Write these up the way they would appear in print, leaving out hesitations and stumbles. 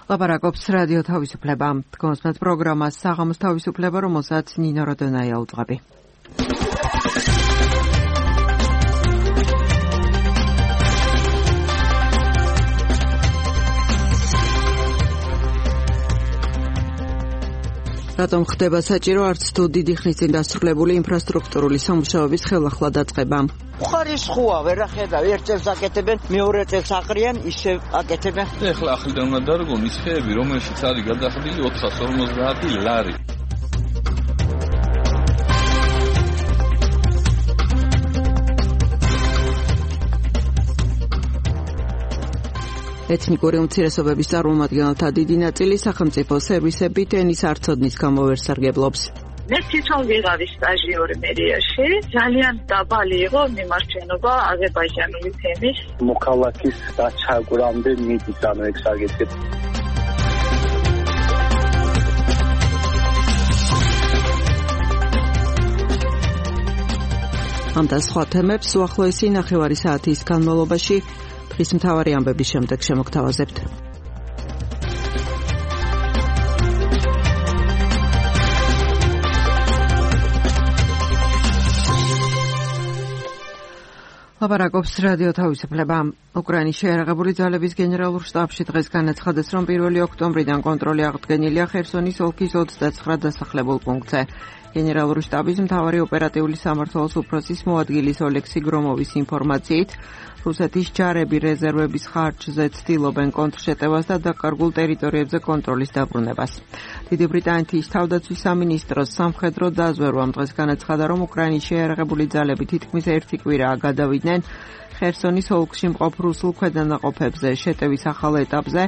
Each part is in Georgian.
ლაპარაკობს რადიო თავისუფლება. დგომსმენთ პროგრამას საღამოს თავისუფლება, რომელსაც ნინო როდონაია უძღვები. რატომ ხდება საჭირო არც თუ დიდი ხნის წინ დასრულებული ინფრასტრუქტურული სამუშაოების ხელახლა დაწყება? ხარისხოა, ვერა ხედავ, ერთ წელს აკეთებენ, მეორე წელს აყრიან, ისევ აკეთებენ. ეხლა ახლიდან უნდა დარგონ ის ხეები, რომელშიც არის გადახდილი 450 ლარი. ეთნიკური უმცირესობების წარმომადგენელთა დიდი ნაწილი სახელმწიფო სერვისებით ენის არცოდნის გამო ვერ სარგებლობს. მე თვითონ ვიღავი სტაჟიორი მერიაში, ძალიან დაბალი იყო მიმართვენობა აზერბაიჯანული თემის. მოქალაქის დაჩაგვრამდე მიდის ანუ ეგ საგეთებ. ამ და სხვა თემებს უახლოესი ნახევარი საათის განმავლობაში დღის მთავარი ამბების შემდეგ შემოგთავაზებთ. ლაპარაკობს რადიო თავისუფლება. უკრაინის შეიარაღებული ძალების გენერალურ შტაბში დღეს განაცხადეს, რომ 1 ოქტომბრიდან კონტროლი აღდგენილია ხერსონის ოლქის 29 დასახლებულ პუნქტზე. გენერალური შტაბის მთავარი ოპერატიული სამმართველოს უფროსის მოადგილის ოლექსი გრომოვის ინფორმაციით, რუსეთის ჯარები რეზერვების ხარჯზე ცდილობენ კონტრშეტევას და დაკარგულ ტერიტორიებზე კონტროლის დაბრუნებას. დიდი ბრიტანეთის თავდაცვის სამინისტროს სამხედრო დაზვერვამ დღეს განაცხადა, რომ უკრაინის შეიარაღებული ძალები თითქმის ერთი კვირაა გადავიდნენ ხერსონის ოლქში მყოფ რუსულ ქვედანაყოფებზე. შეტევის ახალ ეტაპზე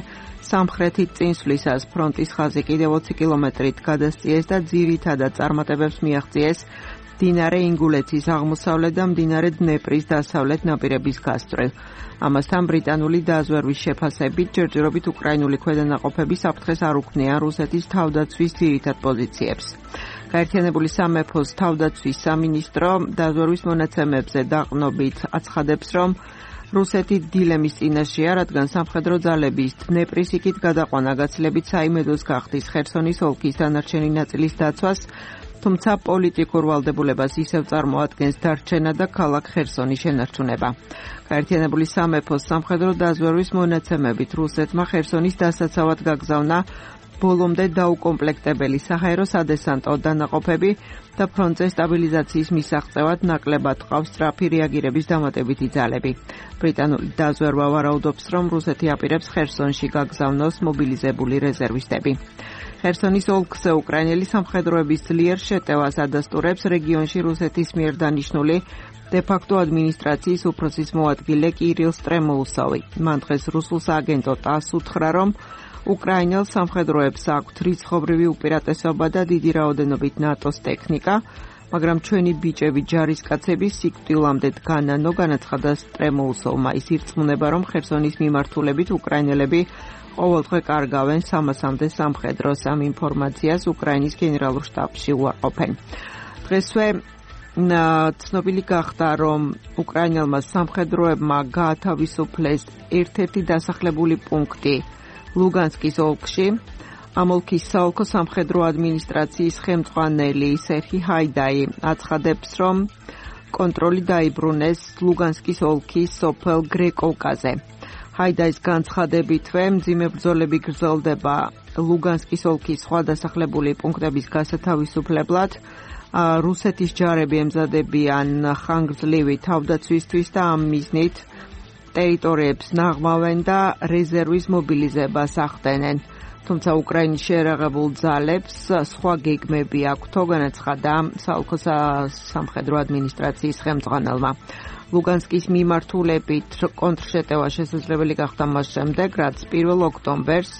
სამხრეთით წინსვლისას ფრონტის ხაზი კიდევ 20 კილომეტრით გადასწიეს და ძირითადად წარმატებებს მიაღწიეს მდინარე ინგულეთის აღმოსავლეთ და მდინარე დნეპრის დასავლეთ ნაპირების გასწვრივ. ამასთან ბრიტანული დაზვერვის შეფასებით ჯერჯერობით უკრაინული ქვედანაყოფები საფრთხეს არ უქმნიან რუსეთის თავდაცვის ძირითად პოზიციებს. გაერთიანებული სამეფოს თავდაცვის სამინისტრო დაზვერვის მონაცემებზე დაყრდნობით აცხადებს, რომ რუსეთი დილემის წინაშეა, რადგან სამხედრო ძალების დნეპრის იქით გადაყვანა გაცილებით საიმედოს გახდის ხერსონის ოლქის დანარჩენი ნაწილის დაცვას, თუმცა პოლიტიკურ ვალდებულებას ისევ წარმოადგენს დარჩენა და ქალაქ ხერსონის შენარჩუნება. გაერთიანებული სამეფოს სამხედრო დაზვერვის მონაცემებით რუსეთმა ხერსონის დასაცავად გაგზავნა ბოლომდე დაუკომპლექტებელი საჰაერო სადესანტო დანაყოფები და ფრონტზე სტაბილიზაციის მისაღწევად ნაკლებად ყავს სწრაფი რეაგირების დამატებითი ძალები. ბრიტანული დაზვერვა ვარაუდობს, რომ რუსეთი აპირებს ხერსონში გაგზავნოს მობილიზებული რეზერვისტები. ხერსონის ოლქზე უკრაინელი სამხედროების ძლიერ შეტევას ადასტურებს რეგიონში რუსეთის მიერ დანიშნული დე-ფაქტო ადმინისტრაციის უფროსის მოადგილე კირილ სტრემოუსოვი. მან დღეს რუსულ სააგენტო ტას უთხრა, რომ უკრაინელ სამხედროებს აქვთ რიცხობრივი უპირატესობა და დიდი რაოდენობით ნატოს ტექნიკა, მაგრამ ჩვენი ბიჭები ჯარისკაცები სიკვდილამდე დგანანო, განაცხადა სტრემოუსოვმა. ის ირწმუნება, რომ ხერსონის მიმართულებით უკრაინელები ყოველდღე კარგავენ 300-მდე სამხედროს. ამ ინფორმაციას უკრაინის გენერალურ შტაბში უარყოფენ. დღესვე ცნობილი გახდა, რომ უკრაინელმა სამხედროებმა გაათავისუფლეს ერთ-ერთი დასახლებული პუნქტი ლუგანსკის ოლქში. ამ ოლქის საოლქო სამხედრო ადმინისტრაციის ხელმძღვანელი სერჰი ჰაიდაი აცხადებს, რომ კონტროლი დაიბრუნეს ლუგანსკის ოლქის სოფელ გრეკოვკაზე. ჰაიდაის განცხადებითვე მძიმე ბრძოლები გრძელდება ლუგანსკის ოლქის სხვა დასახლებული პუნქტების გასათავისუფლებლად. რუსეთის ჯარები ემზადებიან ხანგრძლივი თავდაცვისთვის და ამ მიზნით ტერიტორიებს ნაღმავენ და რეზერვის მობილიზებას ახდენენ. თუმცა უკრაინის შეიარაღებულ ძალებს სხვა გეგმები აქვთო, განაცხადა საოლქო სამხედრო ადმინისტრაციის ხელმძღვანელმა. ლუგანსკის მიმართულებით კონტრშეტევა შესაძლებელი გახდა მას შემდეგ, რაც 1 ოქტომბერს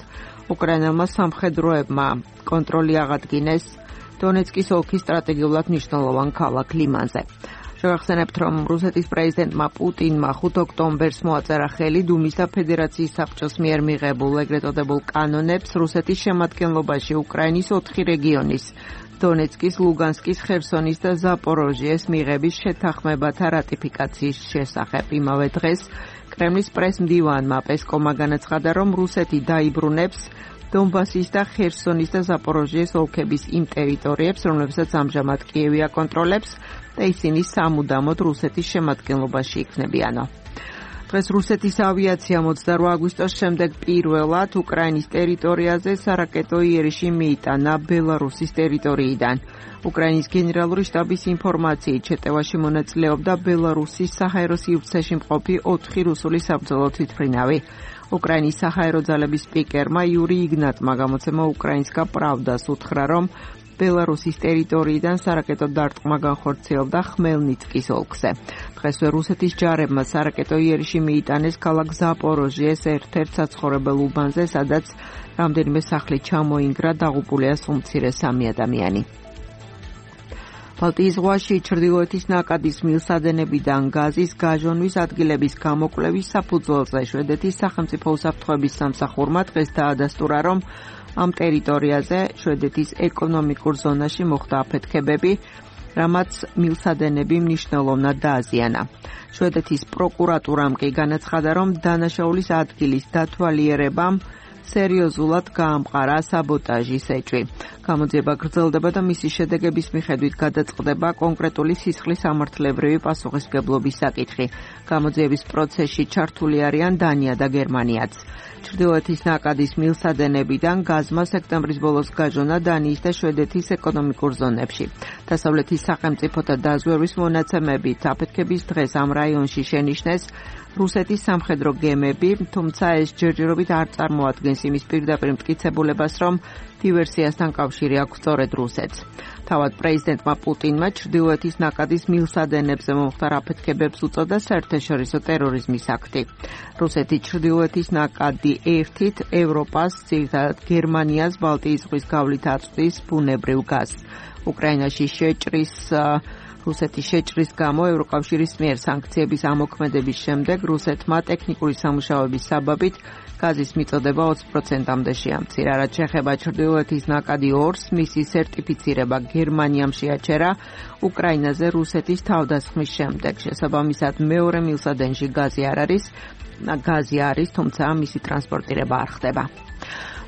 უკრაინელმა სამხედროებმა კონტროლი აღადგინეს დონეცკის ოლქის სტრატეგიულად მნიშვნელოვან ქალაქ ლიმანზე. შევახსენებთ, რომ რუსეთის პრეზიდენტმა პუტინმა 5 ოქტომბერს მოაწერა ხელი დუმის და ფედერაციის საბჭოს მიერ მიღებულ ეგრეთ წოდებულ კანონებს რუსეთის შემადგენლობაში უკრაინის 4 რეგიონის დონეცკის, ლუგანსკის, ხერსონის და ზაპოროჟიეს მიღების შეთანხმებათა რატიფიკაციის შესახებ. იმავე დღეს კრემლის პრეს-მდივანმა პესკოვმა განაცხადა, რომ რუსეთი დაიბრუნებს დონბასის და ხერსონის და ზაპოროჟიეს ოლქების იმ ტერიტორიებს, რომლებსაც ამჟამად კიევი აკონტროლებს და ისინი სამუდამოდ რუსეთის შემადგენლობაში იქნებიანო. დღეს რუსეთის ავიაციამ 28 აგვისტოს შემდეგ პირველად უკრაინის ტერიტორიაზე სარაკეტო იერიში მიიტანა ბელარუსის ტერიტორიიდან. უკრაინის გენერალური შტაბის ინფორმაციით შეტევაში მონაწილეობდა ბელარუსის საჰაერო სივრცეში მყოფი 4 რუსული საბრძოლო თვითმფრინავი. უკრაინის საჰაერო ძალების სპიკერმა იური იგნატმა გამოცემა უკრაინსკა პრავდას უთხრა, რომ ბელარუსის ტერიტორიიდან სარაკეტო დარტყმა განხორციელდა ხმელნიცკის ოლქზე. დღესვე რუსეთის ჯარებმა სარაკეტო იერიში მიიტანეს ქალაქ ზაპოროჟიეს ერთ-ერთ საცხოვრებელ უბანზე, სადაც რამდენიმე სახლი ჩამოინგრა, დაღუპულია უმცირეს 3 ადამიანი. ბალტიის ზღვაში ჩრდილოეთის ნაკადის მილსადენებიდან გაზის გაჟონვის ადგილების გამოკვლევის საფუძველზე შვედეთის სახელმწიფო უსაფრთხოების სამსახურმა დღეს დაადასტურა, რომ ამ ტერიტორიაზე შვედეთის ეკონომიკურ ზონაში მოხდა აფეთქებები, რამაც მილსადენები მნიშვნელოვნად დააზიანა. შვედეთის პროკურატურამ კი განაცხადა, რომ დანაშაულის ადგილის დათვალიერებამ სერიოზულად გაამყარა საბოტაჟის ეჭვი. გამოძიება გრძელდება და მისი შედეგების მიხედვით გადაწყდება კონკრეტული სისხლის სამართლებრივი პასუხისმგებლობის საკითხი. გამოძიების პროცესში ჩართული არიან დანია და გერმანიაც. ჩრდილოეთის ნაკადის მილსადენებიდან გაზმა სექტემბრის ბოლოს გაჟონა დანიის და შვედეთის ეკონომიკურ ზონებში. დასავლეთის სახელმწიფოთა დაზვერვის მონაცემებით აფეთქების დღეს ამ რაიონში შენიშნეს რუსეთის სამხედრო გემები, თუმცა ეს ჯერჯერობით არ წარმოადგენს იმის პირდაპირ მტკიცებულებას, რომ დივერსიასთან კავშირი აქვს სწორედ რუსეთს. თავად პრეზიდენტმა პუტინმა ჩრდილოეთის ნაკადის მილსადენებზე მომხდარ აფეთქებებს უწოდა საერთაშორისო ტერორიზმის აქტი. რუსეთი ჩრდილოეთის ნაკადი ერთით ევროპას, ძირითადად გერმანიას, ბალტიის ზღვის გავლით აწვდის ბუნებრივ გაზს. უკრაინაში რუსეთის შეჭრის გამო ევროკავშირის მიერ სანქციების ამოქმედების შემდეგ რუსეთმა ტექნიკური სამუშაოების საბაბით გაზის მიწოდება 20%-მდე შეამცირა. რაც შეეხება ჩრდილოეთის ნაკადი 2-ს, მისი სერტიფიცირება გერმანიამ შეაჩერა უკრაინაზე რუსეთის თავდასხმის შემდეგ. შესაბამისად, მეორე მილსადენში გაზი არის, თუმცა მისი ტრანსპორტირება არ ხდება.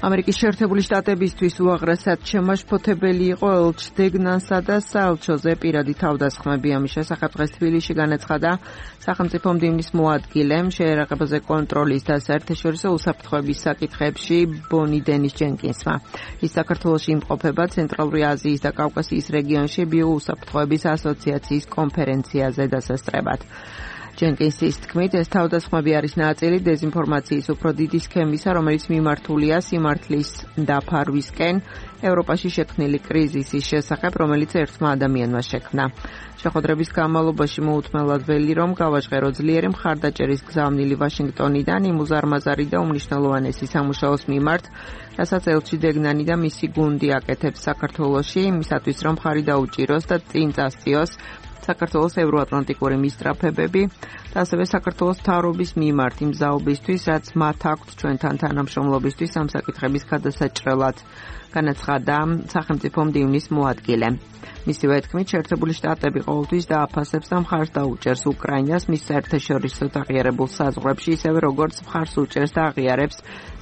ამერიკის შეერთებული შტატებისთვის უაღრესად შემაშფოთებელი იყო ელჩ-დეგნანსა და საელჩოზე პირადი თავდასხმები. ამის შესახებ დღეს თბილისში განაცხადა სახელმწიფო მდივნის მოადგილემ შეერაღებაზე კონტროლის და საერთაშორისო უსაფრთხოების საკითხებში ბონი დენის ჯენკინსმა. ის საქართველოში იმყოფება ცენტრალური აზიის და კავკასიის რეგიონში ბიოუსაფრთხოების ასოციაციის კონფერენციაზე დასასწრებად. ჯენკინსის თქმით, ეს თავდასხმები არის ნაწილი დეზინფორმაციის უფრო დიდი სქემისა, რომელიც მიმართულია სიმართლის დაფარვისკენ ევროპაში შექმნილი კრიზისის შესახებ, რომელიც ერთმა ადამიანმა შექმნა. შეხვედრების განმავლობაში მოუთმელად ველი, რომ გავაჟღერო ძლიერი მხარდაჭერის გზავნილი ვაშინგტონიდან იმ უზარმაზარი და უმნიშვნელოვანესი სამუშაოს მიმართ, რასაც ელჩი დეგნანი და მისი გუნდი აკეთებს საქართველოში, იმისათვის, რომ მხარი დაუჭიროს და წინ წასწიოს საქართველოს ევროატლანტიკური მისწრაფებები და ასევე საქართველოს მთავრობის მიმართ იმ ზაობისთვის, რაც მათ აქვთ ჩვენთან თანამშრომლობისთვის ამ საკითხების გადასაჭრელად, განაცხადა სახელმწიფო მდივნის მოადგილე. მისივე თქმით, შეერთებული შტატები ყოველთვის დააფასებს და მხარს დაუჭერს უკრაინას მის საერთაშორისო აღიარებულ საზღვრებში, ისევე როგორც მხარს უჭერს და აღიარებს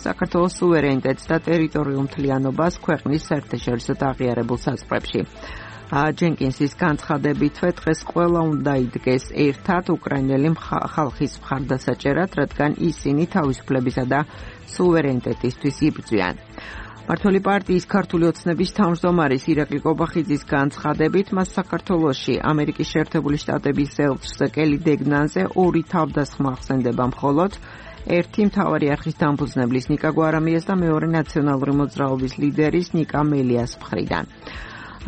საქართველოს სუვერენიტეტს და ტერიტორიულ მთლიანობას ქვეყნის საერთაშორისო აღიარებულ საზღვრებში. ჯენკინსის განცხადებითვე დღეს ყველა უნდა იდგეს ერთად უკრაინელი ხალხის მხარდასაჭერად, რადგან ისინი თავისუფლებისა და სუვერენიტეტისთვის იბრძვიან. მართველი პარტიის ქართული ოცნების თავმჯდომარის ირაკლი კობახიძის განცხადებით, მას საქართველოში ამერიკის შეერთებული შტატების ელჩზე კელი დეგნანზე 2 თავდასხმა ახსენდება მხოლოდ, ერთი მთავარი არხის დამფუძნებლის ნიკა გვარამიას და მეორე ნაციონალური მოძრაობის ლიდერის ნიკა მელიას მხრიდან.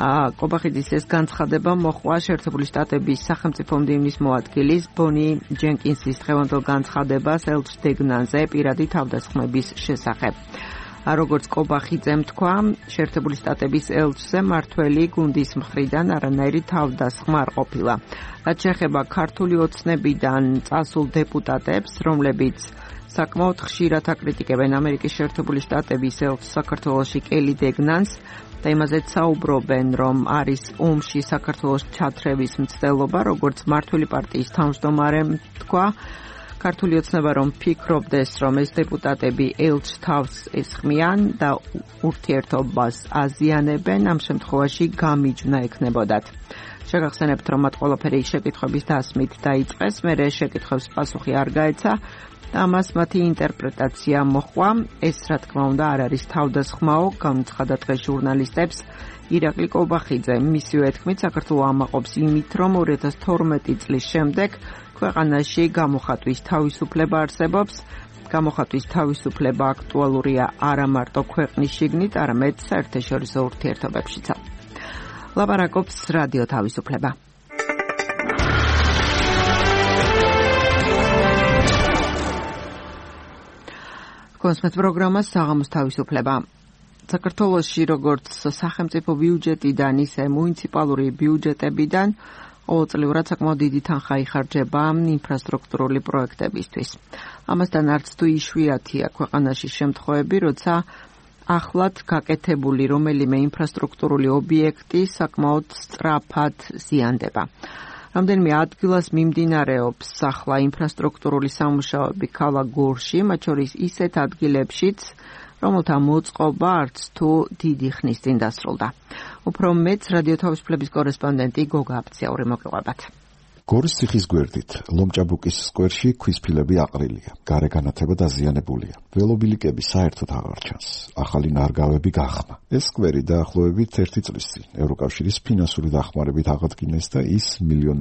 კობახიძის ეს განცხადება მოჰყვა შეერთებული შტატების სახელმწიფო მდივნის მოადგილის ბონი ჯენკინსის დღევანდელ განცხადებას ელჩ დეგნანზე პირადი თავდასხმების შესახებ. როგორც კობახიძემ თქვა, შეერთებული შტატების ელჩზე მართველი გუნდის მხრიდან არანაირი თავდასხმა არ ყოფილა. რაც შეეხება ქართული ოცნებიდან წასულ დეპუტატებს, რომლებიც საკმაოდ ხშირად აკრიტიკებენ ამერიკის შეერთებული შტატების ელჩ საქართველოში კელი დეგნანს და იმაზეც საუბრობენ, რომ არის ომში საქართველოს ჩათრევის მცდელობა, როგორც მმართველი პარტიის თავმჯდომარემ თქვა, ქართული ოცნება რომ ფიქრობდეს, რომ ეს დეპუტატები ელჩ თავს ესხმიან და ურთიერთობას აზიანებენ, ამ შემთხვევაში გამიჯვნა ექნებოდათ. შეგახსენებთ, რომ მათ ყველაფერი შეკითხვების დასმით დაიწყეს, მერე შეკითხვებს პასუხი არ გაეცა და ამას მათი ინტერპრეტაცია მოჰყვა. ეს რა თქმა უნდა არ არის თავდასხმაო, გამოცხადა დღეს ჟურნალისტებს ირაკლი კობახიძე. მისივე თქმით, საქართველო ამაყობს იმით, რომ 2012 წლის შემდეგ ქვეყანაში გამოხატვის თავისუფლება არსებობს. გამოხატვის თავისუფლება აქტუალურია არა მარტო ქვეყნის შიგნით, არამედ საერთაშორისო ურთიერთობებშიც. ლაპარაკობს რადიო თავისუფლება. კონსმეთ პროგრამა საღამოს თავისუფლება. საქართველოში როგორც სახელმწიფო ბიუჯეტიდან, ისე მუნიციპალური ბიუჯეტებიდან ყოველწლიურად საკმაოდ დიდი თანხა იხარჯება ინფრასტრუქტურული პროექტებისთვის. ამასთან არც თუ იშვიათია ქვეყანაში შემთხვევები, როცა ახლად გაკეთებული რომელიმე ინფრასტრუქტურული ობიექტი საკმაოდ სწრაფად ზიანდება. რამდენიმე ადგილას მიმდინარეობს ახლა ინფრასტრუქტურული სამუშაოები ქალაქ გორში, მათ შორის ისეთ ადგილებშიც, რომელთა მოწყობა არც თუ დიდი ხნის წინ დასრულდა. უფრო მეც რადიო თავისუფლების კორესპონდენტი გოგა აფციაური მოგიყვებათ. გორის ციხის გვერდით, ლომჭაბუკის სკვერში ქვის ფილები აყრილია, გარე განათება დაზიანებულია. ველობილიკები საერთოდ აღარ ჩანს. ახალი ნარგავები გახმა. ეს სკვერი დაახლოებით 1 წლის წინ ევროკავშირის ფინანსური დახმარებით აღადგინეს და ის 1,5 მილიონ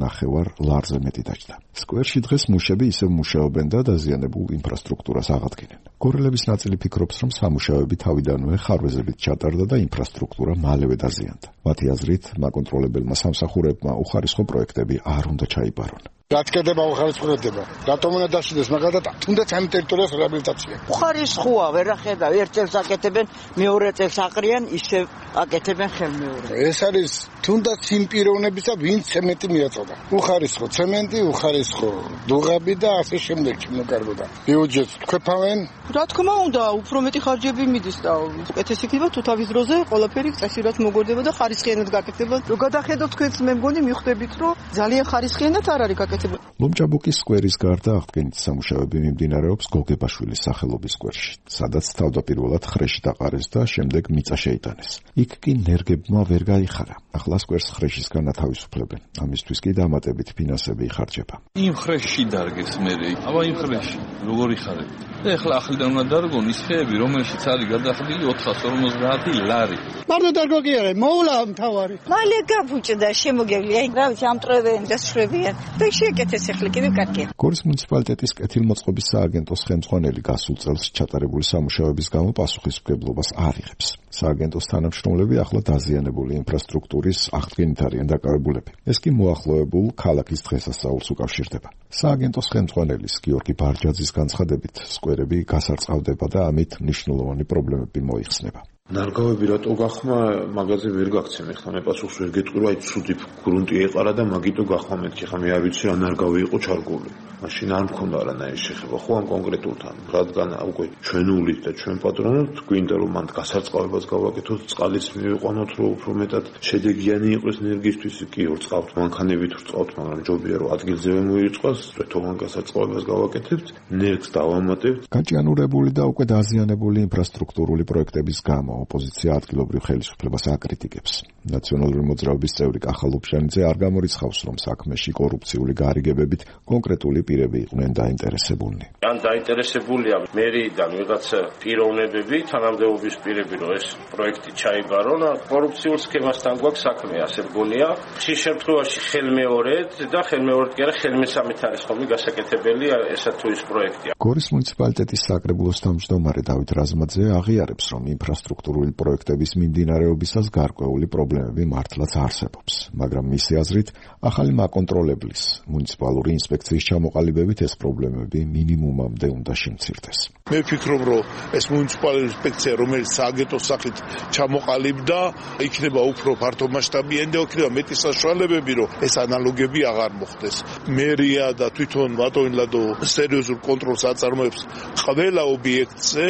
ლარზე მეტი დაჯდა. სკვერში დღეს მუშები ისევ მუშაობენ და დაზიანებულ ინფრასტრუქტურას აღადგინენ. გორელების ნაწილი ფიქრობს, რომ სამუშაოები თავიდანვე ხარვეზებით ჩატარდა და ინფრასტრუქტურა მალევე დაზიანდა. მათი აზრით, მაკონტროლებელმა სამსახურებმა უხარისხო პროექტები არ უნდა ჩაიბარონ. რაც კეთება უხარისხდება. რატომ უნდა დაშიდეს მაგალითად თუნდაც ამ ტერიტორიას რეაბილიტაცია. უხარისხოა, ვერ ახედავ, ერთ წელს აკეთებენ, მეორე წელს აყრიან, ისევ აკეთებენ ხელმეორედ. ეს არის თუნდაც იმ პიროვნებისა, ვინც ცემენტი მიაწოდა. უხარისხო ცემენტი, უხარისხო დუღაბი და ასე შემდეგ შემოკარგდა. ბიუჯეტს თქვეფავენ. რა თქმა უნდა, უფრო მეტი ხარჯები მიდის და უკეთესი იქნება თუ თავის დროზე ყველაფერი წესიურად მოგვერდება და ხარისხიანად გაკეთდება. რო გადახედოთ თქვენს მე მგონი მიხვდებით, რომ ძალიან ხარისხიანად არ არის გაკეთებული. ლომჭაბუკის სკვერის გარდა აღდგენითი სამუშაოები მიმდინარეობს გოგებაშვილის სახელობის სკვერში, სადაც თავდაპირველად ხრეში დაყარეს და შემდეგ მიწა შეიტანეს. იქ კი ნერგებმა ვერ გაიხარა. ახლა სკვერს ხრეშის განათავისუფლებენ. ამისთვის კი დამატებით ფინანსები იხარჯება. იმ ხრეში დარგეს მერე. აბა იმ ხრეში როგორ იხარებთ? და ახლა ახლიდან უნდა დარგონ ის ხეები, რომელშიც არის გადახდილი 450 ლარი. მარტო დარგო კი არა, მოვლა მთავარი. მალე გაფუჭდა შემოგევლია. აი, რა ვიცი, ამტრევენ და შრებიან. და შეკეთეს ახლა კიდევ კარგია. გორის მუნიციპალიტეტის კეთილმოწყობის სააგენტოს ხელმძღვანელი გასულ წელს ჩატარებული სამუშაოების გამო პასუხისმგებლობას არ იღებს. სააგენტოს თანამშრომლები ახლა დაზიანებული ინფრასტრუქტურის აღდგენით არიან დაკავებულები. ეს კი მოახლოებულ ქალაქის დღესასწაულს უკავშირდება. სააგენტოს ხელმძღვანელის გიორგი ბარჯაძის განცხადებით, სკვერები გასარწყავდება და ამით მნიშვნელოვანი პრობლემები მოიხსნება. ნარგავები რატო გახმა, მაგაზე ვერ გაქცენ. ეხლა მე პასუხს ვერ გეტყვი, რომ აი ცუდი გრუნტი ეყარა და მაგიტო გახმა მეთქი. ხა მე არ ვიცი რა ნარგავი იყო ჩარგული. მაშინ არ მქონდა არანაირი შეხება ხო ამ კონკრეტულთან. რადგან უკვე ჩვენულით და ჩვენ პატრონობთ, გვინდა რომ მანდ გასარწყავებას გავაკეთოთ, წყალიც მივიყვანოთ, რომ უფრო მეტად შედეგიანი იყოს ენერგიისთვის. კი ვრწყავთ, მანქანებით ვრწყავთ, მაგრამ ჯობია რომ ადგილზევე მოირწყოს, თვითონ გასარწყავებას გავაკეთებთ, ნერგს დავამატებთ. გაჭიანურებული და უკვე დაზიანებული ინფრასტრუქტურული პროექტების გამო ოპოზიცია ადგილობრივ ხელისუფლებას აკრიტიკებს. ნაციონალური მოძრაობის წევრი კახალ-უბჟანიძე არ გამორიცხავს, რომ საქმეში კორუფციული გარიგებებით კონკრეტული პირები იყვნენ დაინტერესებულნი. ან დაინტერესებულია მერიდან ვიღაც პიროვნებები, თანამდებობის პირები, რომ ეს პროექტი ჩაიბარონ, კორუფციულ სქემასთან გვაქვს საქმე, ასე მგონია. ხშირ შემთხვევაში ხელმეორედ და ხელმეორედ კი არა, ხელმესამით არის ხოლმე გასაკეთებელი ესა თუ ის პროექტია. გორის მუნიციპალიტეტის საკრებულოს თავმჯდომარე დავით რაზმაძე აღიარებს, რომ ინფრასტრუქტურული პროექტების მიმდინარეობისას გარკვეული პრობლემები მართლაც არსებობს, მაგრამ მისი აზრით, ახალი მაკონტროლებლის მუნიციპალური ინსპექციის ჩამოყალიბებით ეს პრობლემები მინიმუმამდე უნდა შემცირდეს. მე ვფიქრობ, რომ ეს მუნიციპალური ინსპექცია, რომელიც სააგენტოს სახით ჩამოყალიბდა, იქნება უფრო ფართომასშტაბიანი და იქნება მეტი საშუალებები, რომ ეს ანალოგები აღარ მოხდეს. მერია და თვითონ ბატონილადო სერიოზულ კონტროლს აწარმოებს ყველა ობიექტზე,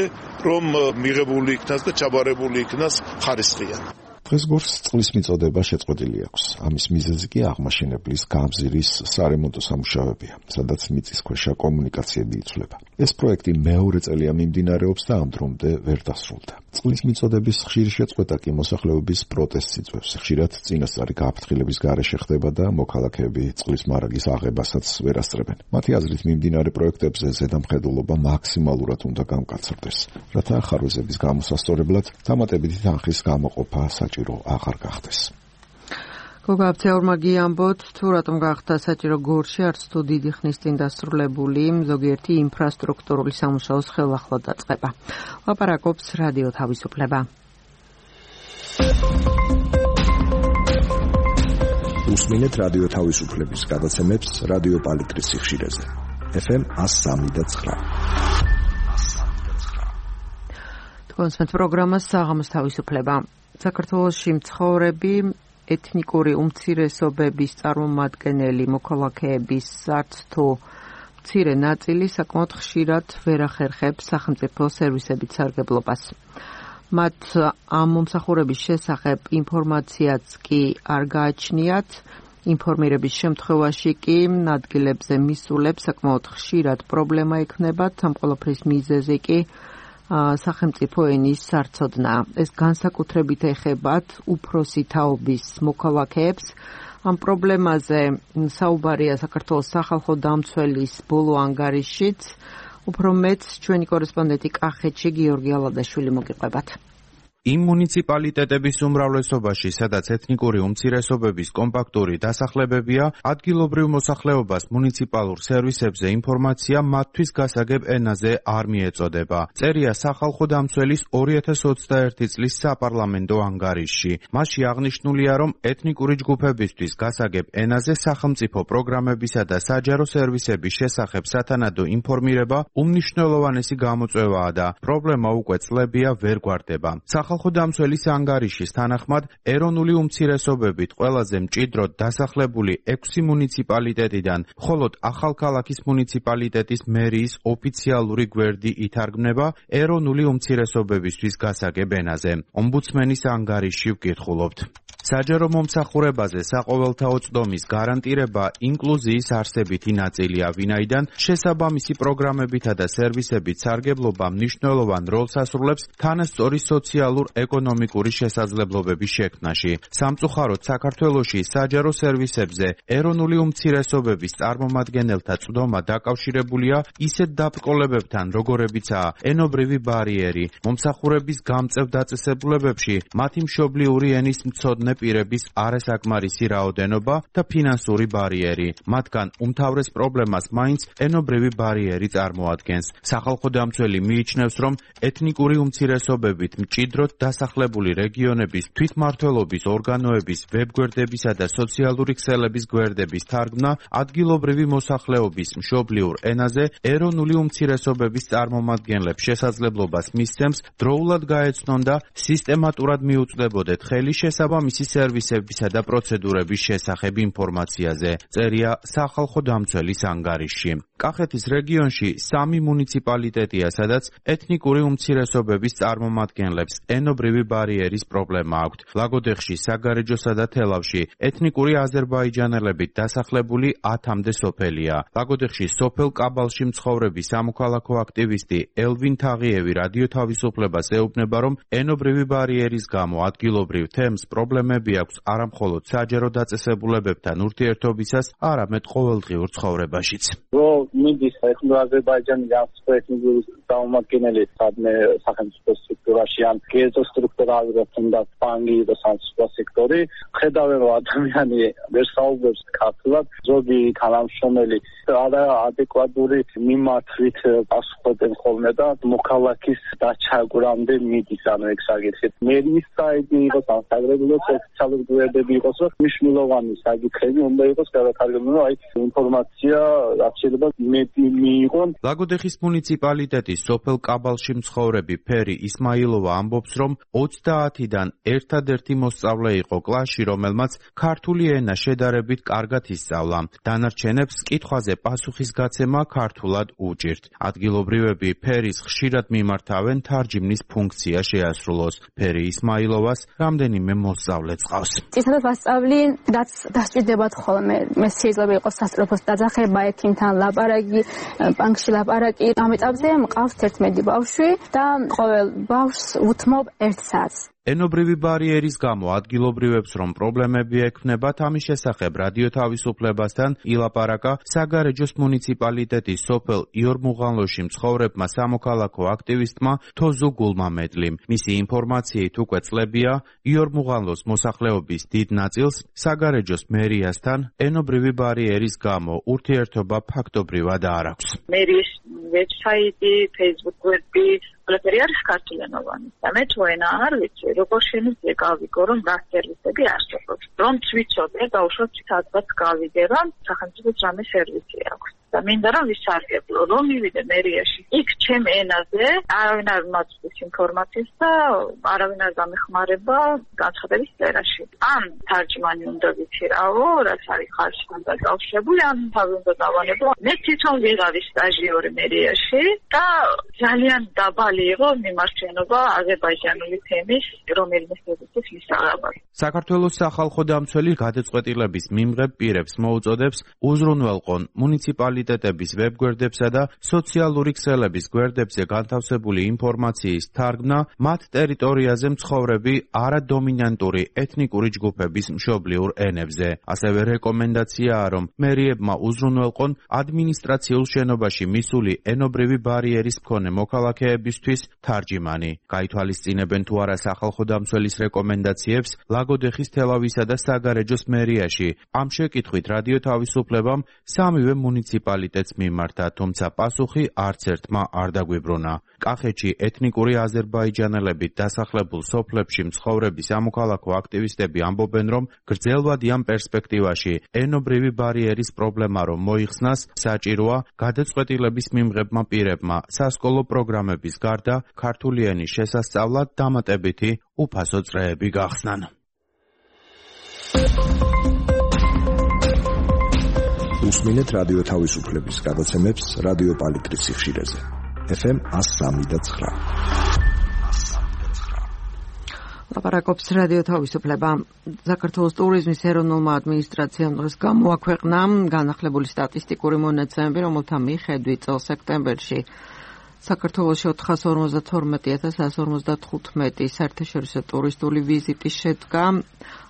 რომ მიღებული იქნას და ჩაბარებული იქნას ხარისხიან. დღეს გორს წყლის მიწოდება შეწყვეტილი აქვს. ამის მიზეზი კი აღმაშენებლის გამზირის სარემონტო სამუშაოებია, სადაც მიწისქვეშა კომუნიკაციები იცვლება. ეს პროექტი მეორე წელია მიმდინარეობს და ამ დრომდე ვერ დასრულდა. წყლის მიწოდების ხშირი შეწყვეტა კი მოსახლეობის პროტესტს იწვევს. ხშირად წინასწარი გაფრთხილების გარეშე ხდება და მოქალაქეები წყლის მარაგის აღებასაც ვერ ასწრებენ. მათი აზრით მიმდინარე პროექტებზე ზედამხედველობა მაქსიმალურად უნდა გამკაცრდეს, რათა ხარვეზების გამოსასწორებლად დამატებითი თანხის გამოყოფა საჭირო აღარ გახდეს. გოგა აფცეურმა გიამბოთ, თუ რატომ გახდა საჭირო გორში არც თუ დიდი ხნის წინ დასრულებული ზოგიერთი ინფრასტრუქტურული სამუშაოს ხელახლა დაწყება. ლაპარაკობს რადიო თავისუფლება. უსმინეთ რადიო თავისუფლების გადაცემებს რადიო პალიტრის სიხშირეზე. FM 103.9. კონსმეთ პროგრამას საღამოს თავისუფლება. საქართველოში მცხოვრები ეთნიკური უმცირესობების წარმომადგენელი მოქალაქეების არც თუ მცირე ნაწილი საკმაოდ ხშირად ვერ ახერხებს სახელმწიფო სერვისებით სარგებლობას. მათ ამ მომსახურების შესახებ ინფორმაციაც კი არ გააჩნიათ. ინფორმირების შემთხვევაში კი ადგილებზე მისულებს საკმაოდ ხშირად პრობლემა იქნებათ. ამ ყველაფრის მიზეზი კი სახელმწიფო ენის სარცოდნა. ეს განსაკუთრებით ეხებათ უფროსი თაობის მოქალაქეებს. ამ პრობლემაზე საუბარია საქართველოს სახალხო დამცველის ბოლო ანგარიშშიც. უფრო მეც ჩვენი კორესპონდენტი კახეთში გიორგი ალადაშვილი მოგიყვებათ. იმ მუნიციპალიტეტების უმრავლესობაში, სადაც ეთნიკური უმცირესობების კომპაქტური დასახლებებია, ადგილობრივ მოსახლეობას მუნიციპალურ სერვისებზე ინფორმაცია მათთვის გასაგებ ენაზე არ მიეწოდება. წერია სახალხო დამცველის 2021 წლის საპარლამენტო ანგარიშში. მასში აღნიშნულია, რომ ეთნიკური ჯგუფებისთვის გასაგებ ენაზე სახელმწიფო პროგრამებისა და საჯარო სერვისების შესახებ სათანადო ინფორმირება უმნიშვნელოვანესი გამოწვევაა და პრობლემა უკვე წლებია ვერ გვარდება. სახალხო დამცველის ანგარიშის თანახმად, ეროვნული უმცირესობებით ყველაზე მჭიდროდ დასახლებული 6 მუნიციპალიტეტიდან მხოლოდ ახალქალაქის მუნიციპალიტეტის მერიის ოფიციალური გვერდი ითარგმნება ეროვნული უმცირესობებისთვის გასაგებ ენაზე. ომბუდსმენის ანგარიშში ვკითხულობთ. საჯარო მომსახურებაზე საყოველთაო წდომის გარანტირება ინკლუზიის არსებითი ნაწილია, ვინაიდან შესაბამისი პროგრამებითა და სერვისებით სარგებლობა მნიშვნელოვან როლს ასრულებს თანასწორი სოციალურ-ეკონომიკური შესაძლებლობების შექმნაში. სამწუხაროდ საქართველოში საჯარო სერვისებზე ეროვნული უმცირესობების წარმომადგენელთა წდომა დაკავშირებულია ისეთ დაბრკოლებებთან, როგორებიცაა ენობრივი ბარიერი, მომსახურების გამწევ დაწესებულებებში მათი მშობლიური ენის მცოდნე პირების არასაკმარისი რაოდენობა და ფინანსური ბარიერი. მათგან უმთავრეს პრობლემას მაინც ენობრივი ბარიერი წარმოადგენს. სახალხო დამცველი მიიჩნევს, რომ ეთნიკური უმცირესობებით მჭიდროდ დასახლებული რეგიონების თვითმმართველობის ორგანოების ვებგვერდებისა და სოციალური ქსელების გვერდების თარგმნა ადგილობრივი მოსახლეობის მშობლიურ ენაზე ეროვნული უმცირესობების წარმომადგენლებს შესაძლებლობას მისცემს დროულად გაეცნონ და სისტემატურად მიუწვდებოდეთ ხელი შესაბამისი სერვისებისა და პროცედურების შესახებ ინფორმაციაზე. წერია სახალხო დამცველის ანგარიშში. კახეთის რეგიონში 3 მუნიციპალიტეტია, სადაც ეთნიკური უმცირესობების წარმომადგენლებს ენობრივი ბარიერის პრობლემა აქვთ. ლაგოდეხში, საგარეჯოსა და თელავში ეთნიკური აზერბაიჯანელებით დასახლებული 10-მდე სოფელია. ლაგოდეხში სოფელ კაბალში მცხოვრები სამოქალაქო აქტივისტი ელვინ თაღიევი რადიო თავისუფლებას ეუბნება, რომ ენობრივი ბარიერის გამო ადგილობრივ თემს პრობლემები აქვს არამხოლოდ საჯარო დაწესებულებებთან ურთიერთობისას, არამედ ყოველდღიურ ცხოვრებაშიც. მიდის აზერბაიჯანიდან ეთნიკური წარმომადგენელი სადმე სახელმწიფო სტრუქტურაში ან გეზო სტრუქტურალურად თუნდაც ბანკი და სახელმწიფო სექტორი, ხედავენ რომ ადამიანი ვერ საუბრობს ქართულად, ზოგი თანამშრომელი ადეკვატური მიმართვით პასუხობენ ხოლმე და მოქალაქის დაჩაგვრამდე მიდის, ანუ ეგ საკითხი. მერის საიტი იყოს ან საგრეგულო ოფიციალური გვერდები იყოს, რომ მნიშვნელოვანი საკითხები უნდა იყოს გადათარგმნილი, აი ინფორმაცია რაც შეიძლება მიიღონ. ლაგოდეხის მუნიციპალიტეტის სოფელ კაბალში მცხოვრები ფერი ისმაილოვა ამბობს, რომ 30-დან ერთადერთი მოსწავლე იყო კლასში, რომელმაც ქართული ენა შედარებით კარგად ისწავლა. დანარჩენებს კითხვაზე პასუხის გაცემა ქართულად უჭირთ. ადგილობრივები ფერის ხშირად მიმართავენ თარჯიმნის ფუნქცია შეასრულოს. ფერი ისმაილოვას რამდენიმე მოსწავლე წავს. წითელად ვასწავლი, რაც დასჭირდებათ ხოლმე. მე შეიძლება იყოს სასწრაფოს დაძახება, ექიმთან ლაპარაკი, ბანკში ლაპარაკი. ამ ეტაპზე მყავს 11 ბავშვი და ყოველ ბავშვს უთმობ 1 საათს. ენობრივი ბარიერის გამო ადგილობრივებს რომ პრობლემები ექმნებათ, ამის შესახებ რადიო თავისუფლებასთან ილაპარაკა საგარეჯოს მუნიციპალიტეტის სოფელ იორმუღანლოში მცხოვრებმა სამოქალაქო აქტივისტმა თოზუ გულმამედლიმ. მისი ინფორმაციით უკვე წლებია იორმუღანლოს მოსახლეობის დიდ ნაწილს საგარეჯოს მერიასთან ენობრივი ბარიერის გამო ურთიერთობა ფაქტობრივად არ აქვს. მერიის ვებსაიტი, Facebook გვერდი ყველაფერი არის ქართულენოვანი. და მე თუ ენა არ ვიცი, როგორ შეიძლება გავიგო, რომ რა სერვისები არსებობს. რომ ვიცოდე, დაუშვათ სადღაც გავიგე, რომ სახელმწიფოს რამე სერვისი აქვს. და მინდა რომ ვისარგებლო, რომ მივიდე მერიაში. იქ ჩემ ენაზე არავინ არ მაწვდის ინფორმაციას და არავინ არ გამეხმარება განცხადების წერაში. ან თარჯმანი უნდა ვიცირავო, რაც არის ხალხთან დაკავშირებული, ან თავი უნდა დავანებო. მე თვითონ ვიღავი სტაჟიორი მერიაში და ძალიან დაბალი იყო მიმართვენობა აზერბაიჯანული თემის რომელიმე სერვისის მისაღებად. საქართველოს სახალხო დამცველი გადაწყვეტილების მიმღებ პირებს მოუწოდებს უზრუნველყონ მუნიციპალიტეტების ვებგვერდებსა და სოციალური ქსელების გვერდებზე განთავსებული ინფორმაციის თარგმნა მათ ტერიტორიაზე მცხოვრები არადომინანტური ეთნიკური ჯგუფების მშობლიურ ენებზე. ასევე რეკომენდაციაა, რომ მერიებმა უზრუნველყონ ადმინისტრაციულ შენობაში მისული ენობრივი ბარიერის მქონე მოქალაქეებისთვის თარჯიმანი. გაითვალისწინებენ თუ არა სახალხო დამცველის რეკომენდაციებს ლაგოდეხის, თელავისა და საგარეჯოს მერიაში. ამ შეკითხვით რადიო თავისუფლებამ სამივე მუნიციპალიტეტს მიმართა, თუმცა პასუხი არც ერთმა არ დაგვიბრუნა. კახეთში ეთნიკური აზერბაიჯანელებით დასახლებულ სოფლებში მცხოვრები სამოქალაქო აქტივისტები ამბობენ, რომ გრძელვადი ამ პერსპექტივაში ენობრივი ბარიერის პრობლემა რომ მოიხსნას, საჭიროა გადაწყვეტილების მიმღებმა პირებმა სასკოლო პროგრამების გარდა ქართული ენის შესასწავლად დამატებითი უფასო წრეები გახსნან. უსმინეთ რადიო თავისუფლების გადაცემებს რადიო პალიტრის სიხშირეზე. FM 103.9. ლაპარაკობს რადიო თავისუფლება. საქართველოს ტურიზმის ეროვნულმა ადმინისტრაციამ დღეს გამოაქვეყნა განახლებული სტატისტიკური მონაცემები, რომელთა მიხედვით წელს სექტემბერში საქართველოში 452,155 საერთაშორისო ტურისტული ვიზიტი შედგა.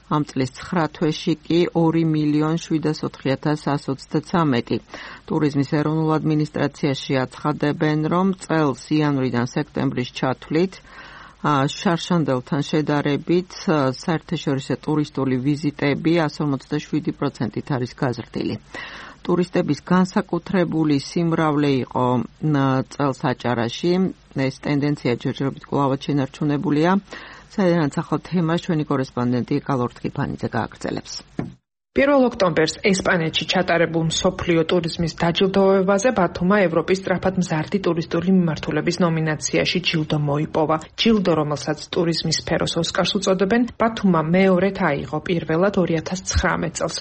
ამ წლის 9 თვეში კი 2,704,123. ტურიზმის ეროვნულ ადმინისტრაციაში აცხადებენ, რომ წელს იანვრიდან სექტემბრის ჩათვლით შარშანდელთან შედარებით საერთაშორისო ტურისტული ვიზიტები 157%-ით არის გაზრდილი. ტურისტების განსაკუთრებული სიმრავლე იყო წელს აჭარაში. ეს ტენდენცია ჯერჯერობით კვლავაც შენარჩუნებულია. საერთოდ ახალ თემას ჩვენი კორესპონდენტი კალორ ტკიფანიძე გააგრძელებს. 1 ოქტომბერს ესპანეთში ჩატარებულ მსოფლიო ტურიზმის დაჯილდოებაზე ბათუმმა ევროპის სწრაფად მზარდი ტურისტული მიმართულების ნომინაციაში ჯილდო მოიპოვა. ჯილდო, რომელსაც ტურიზმის სფეროს ოსკარს უწოდებენ, ბათუმმა მეორედ აიღო, პირველად 2019 წელს.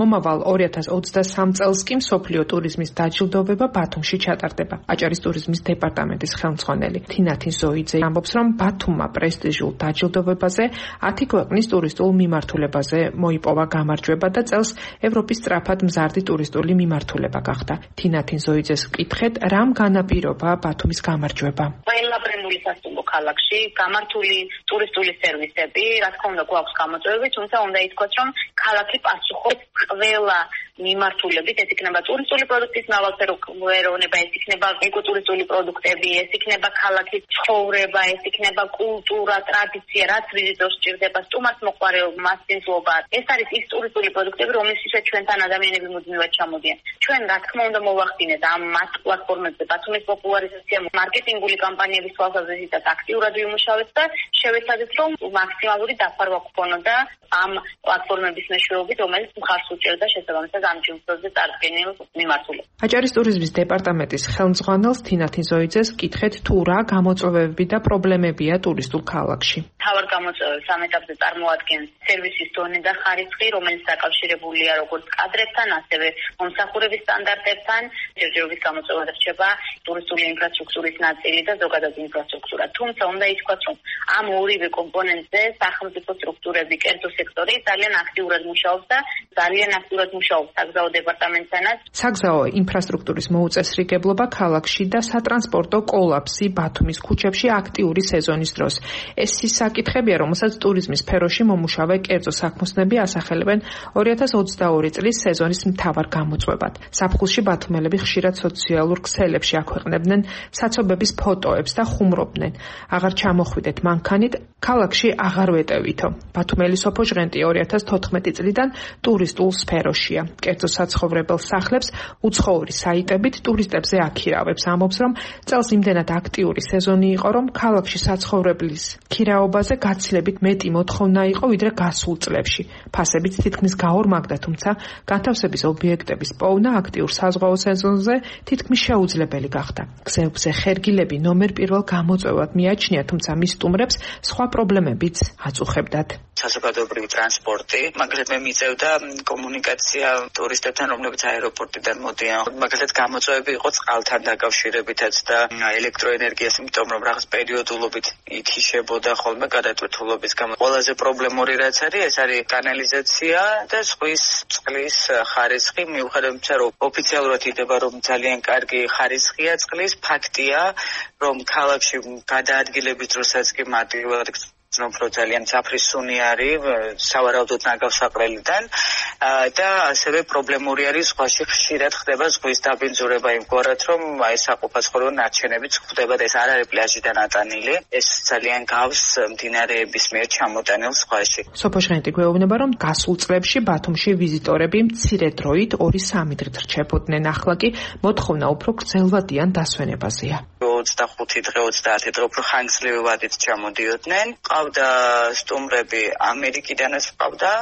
მომავალ 2023 წელს კი მსოფლიო ტურიზმის დაჯილდოვება ბათუმში ჩატარდება. აჭარის ტურიზმის დეპარტამენტის ხელმძღვანელი თინათინ ზოიძე ამბობს, რომ ბათუმმა პრესტიჟულ დაჯილდოვებაზე 10 ქვეყნის ტურისტულ მიმართულებაზე მოიპოვა გამარჯვება და წელს ევროპის სწრაფად მზარდი ტურისტული მიმართულება გახდა. თინათინ ზოიძეს ვკითხეთ, რამ განაპირობა ბათუმის გამარჯვება. ყველა ბრენდული სასტუმრო ქალაქში გამართული ტურისტული სერვისები, რა თქმა უნდა, გვაქვს გამოწვევები, თუმცა უნდა ითქვას, რომ ქალაქი პასუხობს ყველა მიმართულებით, ეს იქნება ტურისტული პროდუქტის მრავალფეროვნება, ეს იქნება ეკოტურისტული პროდუქტები, ეს იქნება ქალაქის ცხოვრება, ეს იქნება კულტურა, ტრადიცია, რაც ვიზიტორს სჭირდება, სტუმარს მოყვარეობა, მასპინძლობა. ეს არის ის ტურისტული პროდუქტები, რომელშიც ჩვენთან ადამიანები მუდმივად ჩამოდიან. ჩვენ რა თქმა უნდა მოვახდინეთ ამ მათ პლატფორმებზე ბათუმის პოპულარიზაცია, მარკეტინგული კამპანიების თვალსაზრისით აქტიურად ვიმუშავეთ და შევეცადეთ, რომ მაქსიმალური დაფარვა გქონოდა ამ პლატფორმების მეშვეობით, რომელიც მხარს უჭერდა შესაბამისად ამ ჯილდოზე წარდგენილ მიმართულებას. აჭარის ტურიზმის დეპარტამენტის ხელმძღვანელს თინა თინზოიძეს ვკითხეთ თუ რა გამოწვევები და პრობლემებია ტურისტულ ქალაქში. თავად გამოწვევებს ამ ეტაპზე წარმოადგენს სერვისის დონე და ხარისხი, რომელიც დაკავშირებულია როგორც კადრებთან, ასევე მომსახურების სტანდარტებთან. ჯერჯერობის გამოწვევა რჩება ტურისტული ინფრასტრუქტურის ნაწილი და ზოგადად ინფრასტრუქტურა. თუმცა უნდა ითქვას, რომ ამ ორივე კომპონენტზე სახელმწიფო სტრუქტურები, კერძო სექტორი ძალიან აქტიურად მუშაობს და ძალიან აქტიურად მუშაობს საგზაო დეპარტამენტთანაც. საგზაო ინფრასტრუქტურის მოუწესრიგებლობა ქალაქში და სატრანსპორტო კოლაფსი ბათუმის ქუჩებში აქტიური სეზონის დროს. ეს ის საკითხებია, რომელსაც ტურიზმის სფეროში მომუშავე კერძო საქმოსნები ასახელებენ 2022 წლის სეზონის მთავარ გამოწვევად. საფხულში ბათუმელები ხშირად სოციალურ ქსელებში აქვეყნებდნენ საცობების ფოტოებს და ხუმრობდნენ. აღარ ჩამოხვიდეთ მანქანით, ქალაქში აღარ ვეტევითო. ბათუმელი სოფო ჟღენტი 2014 წლიდან ტურისტულ სფეროშია. კერძო საცხოვრებელ სახლებს უცხოური საიტებით ტურისტებზე აქირავებს. ამბობს, რომ წელს იმდენად აქტიური სეზონი იყო, რომ ქალაქში საცხოვრებლის ქირაობაზე გაცილებით მეტი მოთხოვნა იყო, ვიდრე გასულ წლებში. ფასებიც თითქმის გაორმაგდა, თუმცა განთავსების ობიექტების პოვნა აქტიურ საზღვაო სეზონზე თითქმის შეუძლებელი გახდა. გზებზე ხერგილები ნომერ პირველ გამოწვევად მიაჩნია, თუმცა მის სტუმრებს სხვა პრობლემებიც აწუხებდათ. საზოგადოებრივი ტრანსპორტი, მაგალითად მე მიწევდა კომუნიკაცია ტურისტებთან, რომლებიც აეროპორტიდან მოდიან. მაგალითად გამოწვევები იყო წყალთან დაკავშირებითაც და ელექტროენერგიას, იმიტომ რომ რაღაც პერიოდულობით ითიშებოდა ხოლმე გადატვირთულობის გამო. ყველაზე პრობლემური რაც არის, ეს არის კანალიზაცია და ზღვის წყლის ხარისხი, მიუხედავად იმისა, რომ ოფიციალურად იდება, რომ ძალიან კარგი ხარისხია წყლის, ფაქტია, რომ ქალაქში გადაადგილების დროსაც კი მარტივად უფრო ძალიან საფრისუნი არის სავარაუდოდ ნაგავსაყრელიდან და ასევე პრობლემური არის ზღვაში ხშირად ხდება ზღვის დაბინძურება იმგვარად რომ აი საყოფაცხოვრებო ნარჩენებიც ხდება და ეს არ არის პლაჟიდან ატანილი ეს ძალიან გავს მდინარეების მიერ ჩამოტანილ ზღვაში. სოფო ჟღენტი გვეუბნება რომ გასულ წლებში ბათუმში ვიზიტორები მცირე დროით 2-3 დღით რჩებოდნენ, ახლა კი მოთხოვნა უფრო გრძელვადიან დასვენებაზეა. 25 დღე 30 დღე უფრო ხანგრძლივი ვადით ჩამოდიოდნენ. ყავდა სტუმრები ამერიკიდანაც ყავდა,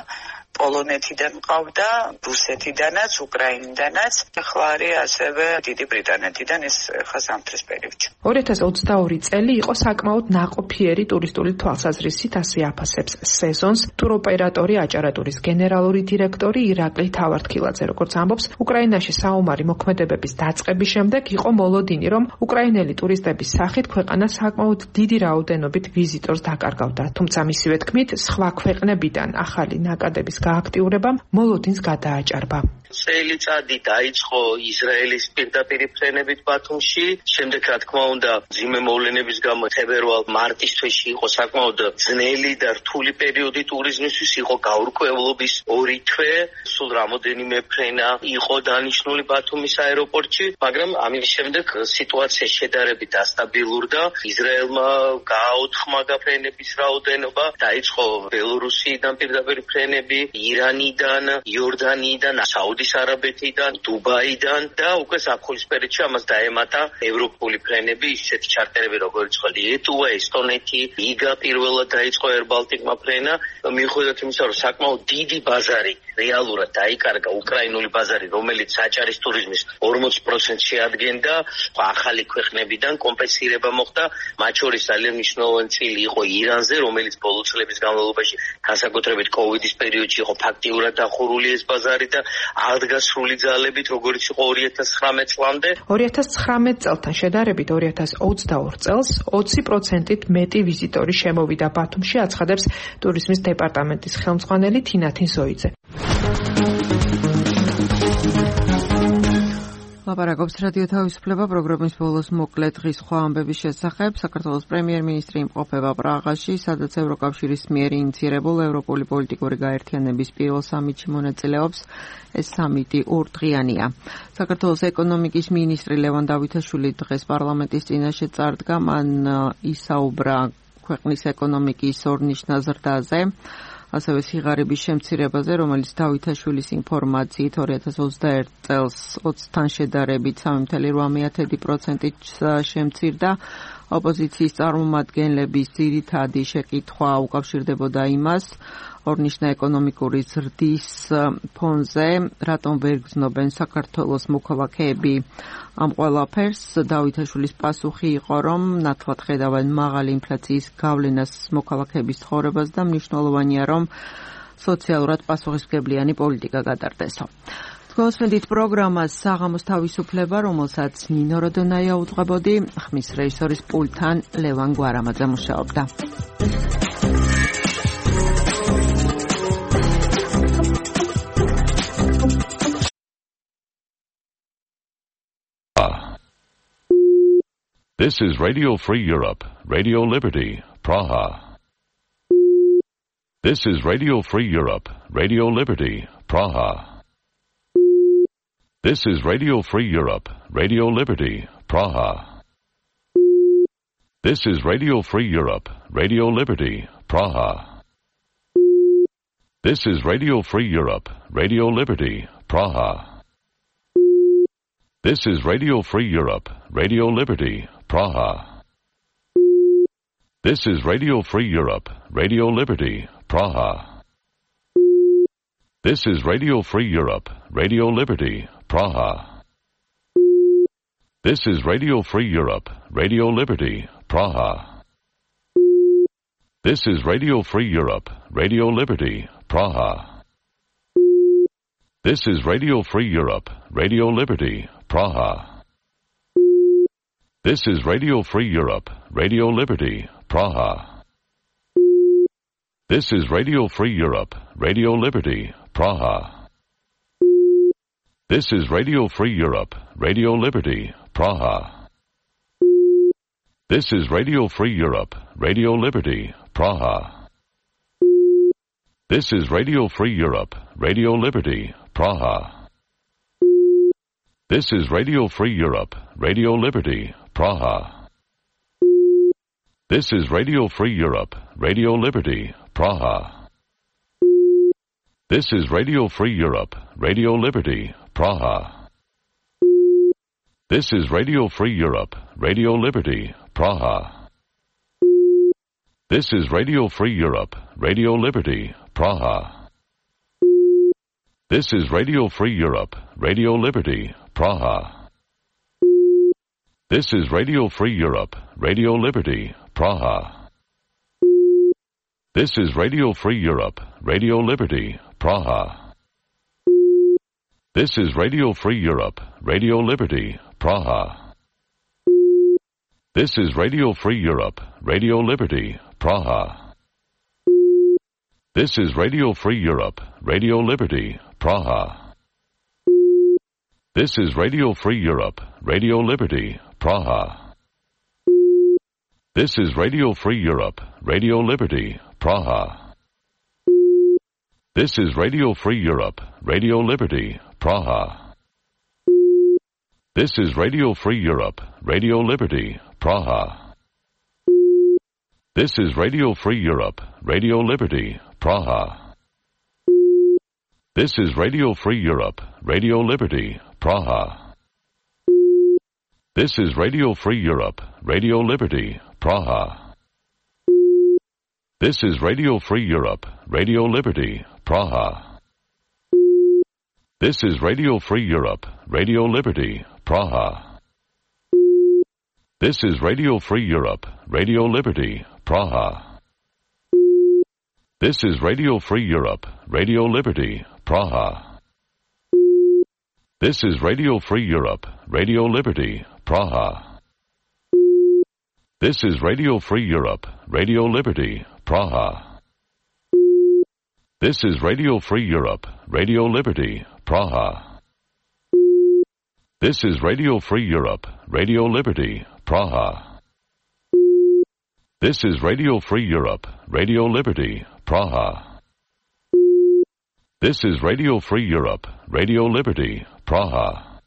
პოლონეთიდან ყავდა, რუსეთიდანაც, უკრაინიდანაც, ახლა არის ასევე დიდი ბრიტანეთიდან ეს ხა ზამთრის პერიოდში. 2022 წელი იყო საკმაოდ ნაყოფიერი ტურისტული თვალსაზრისით, ასე აფასებს სეზონს ტუროპერატორი აჭარატურის გენერალური დირექტორი ირაკლი თავართხილაძე. როგორც ამბობს, უკრაინაში საომარი მოქმედებების დაწყების შემდეგ იყო მოლოდინი, რომ უკრაინელი ტურისტების სახით ქვეყანა საკმაოდ დიდი რაოდენობით ვიზიტორს დაკარგავდა. თუმცა მისივე თქმით, სხვა ქვეყნებიდან ახალი ნაკადების გააქტიურებამ მოლოდინს გადააჭარბა. წელიწადი დაიწყო ისრაელის პირდაპირ ფრენებით ბათუმში, შემდეგ რა თქმა უნდა ძიმე მოვლენების გამო თებერვალ-მარტის თვეში იყო საკმაოდ ძნელი და რთული პერიოდი ტურიზმისთვის, იყო გაურკვევლობის 2 თვე, სულ რამოდენიმე ფრენა იყო დანიშნული ბათუმის აეროპორტში, მაგრამ ამის შემდეგ სიტუაცია შედარებით დასტაბილურდა, ისრაელმა გააოთხმა ფრენების რაოდენობა, დაიწყო ბელორუსიიდან პირდაპირ ფრენები, ირანიდან, იორდანიიდან, საუდის არაბეთიდან, დუბაიდან და უკვე ზაფხულის პერიოდში ამას დაემატა ევროპული ფრენები, ისეთი ჩარტერები როგორც ლიეტუვა, ესტონეთი, რიგა პირველად დაიწყო Air Baltic-მა ფრენა, მიუხედავად იმისა, რომ საკმაოდ დიდი ბაზარი რეალურად დაიკარგა უკრაინული ბაზარი, რომელიც აჭარის ტურიზმის 40% შეადგენდა, ახალი ქვეყნებიდან კომპენსირება მოხდა, მათ შორის ძალიან მნიშვნელოვანი წილი იყო ირანზე, რომელიც ბოლო წლების განმავლობაში განსაკუთრებით კოვიდის პერიოდში იყო ფაქტიურად დახურული ეს ბაზარი და აღდგა სრული ძალებით, როგორც იყო 2019 წლამდე. 2019 წელთან შედარებით 2022 წელს 20%-ით მეტი ვიზიტორი შემოვიდა ბათუმში, აცხადებს ტურიზმის დეპარტამენტის ხელმძღვანელი თინა თინზოიძე. ლაპარაკობს რადიო თავისუფლება პროგრამის ბოლოს მოკლე დღის სხვა ამბების შესახებ. საქართველოს პრემიერ-მინისტრი იმყოფება პრაღაში, სადაც ევროკავშირის მიერ ინიციირებულ ევროპული პოლიტიკური გაერთიანების პირველ სამიტში მონაწილეობს. ეს სამიტი 2 დღიანია. საქართველოს ეკონომიკის მინისტრი ლევან დავითაშვილი დღეს პარლამენტის წინაშე წარდგა, მან ისაუბრა ქვეყნის ეკონომიკის ორნიშნა ზრდაზე, ასევე სიღარიბის შემცირებაზე, რომელიც დავითაშვილის ინფორმაციით 2021 წელს 20-თან შედარებით 3.8%-ით შემცირდა. ოპოზიციის წარმომადგენლების ძირითადი შეკითხვა უკავშირდებოდა იმას, აღორნიშნა ეკონომიკური ზრდის ფონზე, რატომ ვერ გრძნობენ საქართველოს მოქალაქეები ამ ყველაფერს. დავითაშვილის პასუხი იყო, რომ ნათლად ხედავენ მაღალი ინფლაციის გავლენას მოქალაქეების ცხოვრებას და მნიშვნელოვანია, რომ სოციალურად პასუხისმგებლიანი პოლიტიკა გადარდესო. გოსმენდით პროგრამას საღამოს თავისუფლება, რომელსაც ნინო როდონაია უძღვებოდი, ხმის რეჟისორის პულტთან ლევან გვარამაძე მუშაობდა. This is Radio Free Europe, Radio Liberty, Praha. This is Radio Free Europe, Radio Liberty, Praha. This is Radio Free Europe, Radio Liberty, Praha. This is Radio Free Europe, Radio Liberty, Praha. This is Radio Free Europe, Radio Liberty, Praha. This is Radio Free Europe, Radio Liberty, Praha. This is Radio Free Europe, Radio Liberty, Praha. This is Radio Free Europe, Radio Liberty, Praha. This is Radio Free Europe, Radio Liberty, Praha. This is Radio Free Europe, Radio Liberty, Praha. This is Radio Free Europe, Radio Liberty, Praha. This is Radio Free Europe, Radio Liberty, Praha. This is Radio Free Europe, Radio Liberty, Praha. This is Radio Free Europe, Radio Liberty, Praha. This is Radio Free Europe, Radio Liberty, Praha. This is Radio Free Europe, Radio Liberty, Praha. This is Radio Free Europe, Radio Liberty, Praha. This is Radio Free Europe, Radio Liberty, Praha. This is Radio Free Europe, Radio Liberty, Praha. This is Radio Free Europe, Radio Liberty, Praha. This is Radio Free Europe, Radio Liberty, Praha. This is Radio Free Europe, Radio Liberty, Praha. This is Radio Free Europe, Radio Liberty, Praha. This is Radio Free Europe, Radio Liberty, Praha. This is Radio Free Europe, Radio Liberty, Praha. This is Radio Free Europe, Radio Liberty, Praha. This is Radio Free Europe, Radio Liberty, Praha. This is Radio Free Europe, Radio Liberty, Praha. This is Radio Free Europe, Radio Liberty, Praha. This is Radio Free Europe, Radio Liberty, Praha. This is Radio Free Europe, Radio Liberty, Praha. This is Radio Free Europe, Radio Liberty, Praha. This is Radio Free Europe, Radio Liberty, Praha. This is Radio Free Europe, Radio Liberty, Praha. This is Radio Free Europe, Radio Liberty, Praha. This is Radio Free Europe, Radio Liberty, Praha. This is Radio Free Europe, Radio Liberty, Praha. This is Radio Free Europe, Radio Liberty, Praha. This is Radio Free Europe, Radio Liberty, Praha. This is Radio Free Europe, Radio Liberty, Praha. This is Radio Free Europe, Radio Liberty, Praha. This is Radio Free Europe, Radio Liberty, Praha. This is Radio Free Europe, Radio Liberty, Praha. This is Radio Free Europe, Radio Liberty, Praha.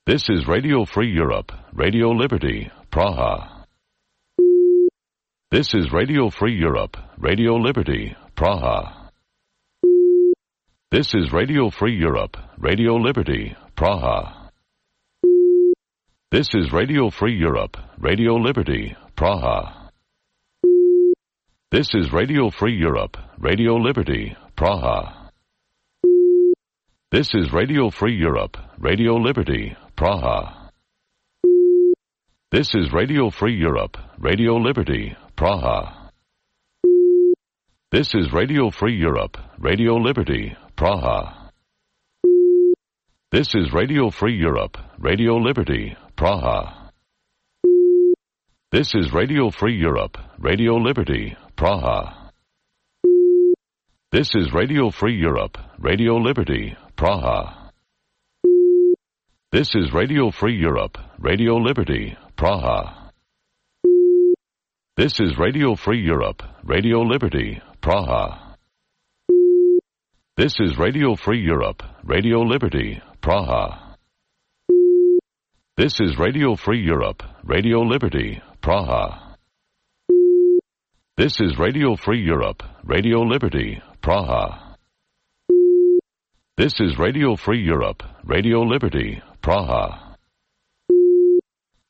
This is Radio Free Europe, Radio Liberty, Praha. This is Radio Free Europe, Radio Liberty, Praha. This is Radio Free Europe, Radio Liberty, Praha. This is Radio Free Europe, Radio Liberty, Praha. This is Radio Free Europe, Radio Liberty, Praha. This is Radio Free Europe, Radio Liberty, Praha. This is Radio Free Europe, Radio Liberty, Praha. This is Radio Free Europe, Radio Liberty, Praha. This is Radio Free Europe, Radio Liberty, Praha. This is Radio Free Europe, Radio Liberty, Praha. This is Radio Free Europe, Radio Liberty, Praha. This is Radio Free Europe, Radio Liberty, Praha. This is Radio Free Europe, Radio Liberty, Praha. This is Radio Free Europe, Radio Liberty, Praha. This is Radio Free Europe, Radio Liberty, Praha. This is Radio Free Europe, Radio Liberty, Praha. This is Radio Free Europe, Radio Liberty, Praha.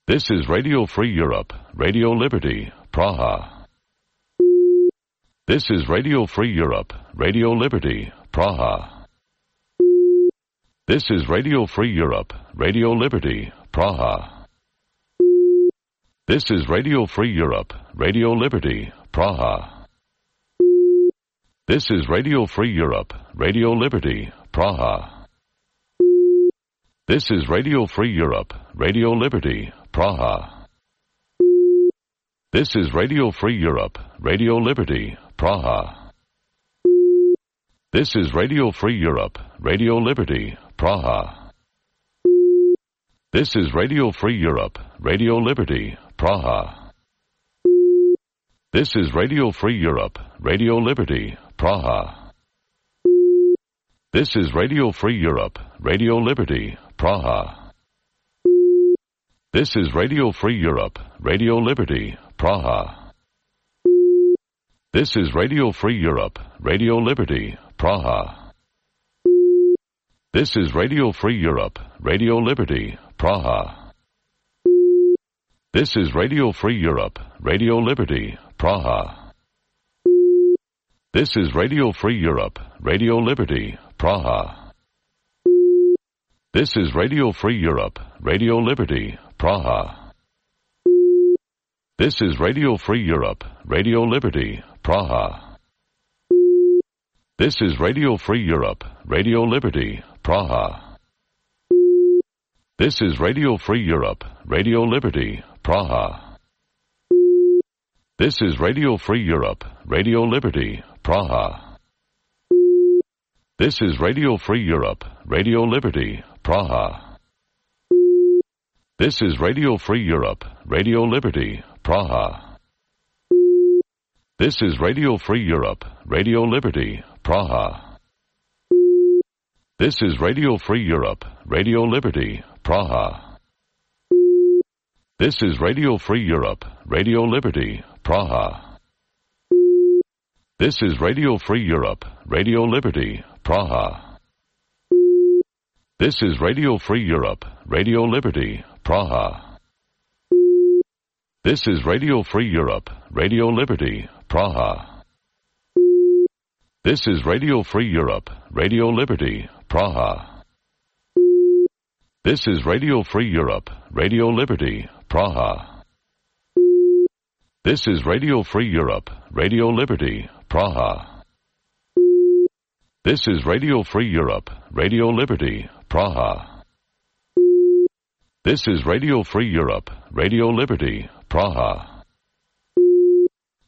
This is Radio Free Europe, Radio Liberty, Praha. This is Radio Free Europe, Radio Liberty, Praha. This is Radio Free Europe, Radio Liberty, Praha. This is Radio Free Europe, Radio Liberty, Praha. This is Radio Free Europe, Radio Liberty, Praha. This is Radio Free Europe, Radio Liberty, Praha. This is Radio Free Europe, Radio Liberty, Praha. This is Radio Free Europe, Radio Liberty, Praha. This is Radio Free Europe, Radio Liberty, Praha. This is Radio Free Europe, Radio Liberty, Praha. This is Radio Free Europe, Radio Liberty, Praha. This is Radio Free Europe, Radio Liberty, Praha. This is Radio Free Europe, Radio Liberty, Praha. This is Radio Free Europe, Radio Liberty, Praha. This is Radio Free Europe, Radio Liberty, Praha. This is Radio Free Europe, Radio Liberty, Praha. This is Radio Free Europe, Radio Liberty, Praha. This is Radio Free Europe, Radio Liberty, Praha. This is Radio Free Europe, Radio Liberty, Praha. This is Radio Free Europe, Radio Liberty, Praha. This is Radio Free Europe, Radio Liberty, Praha. This is Radio Free Europe, Radio Liberty, Praha. This is Radio Free Europe, Radio Liberty, Praha. This is Radio Free Europe, Radio Liberty, Praha. This is Radio Free Europe, Radio Liberty, Praha. This is Radio Free Europe, Radio Liberty, Praha. This is Radio Free Europe, Radio Liberty, Praha. This is Radio Free Europe, Radio Liberty, Praha. This is Radio Free Europe, Radio Liberty, Praha. This is Radio Free Europe, Radio Liberty, Praha. This is Radio Free Europe, Radio Liberty, Praha. This is Radio Free Europe, Radio Liberty, Praha. This is Radio Free Europe, Radio Liberty, Praha. This is Radio Free Europe, Radio Liberty, Praha.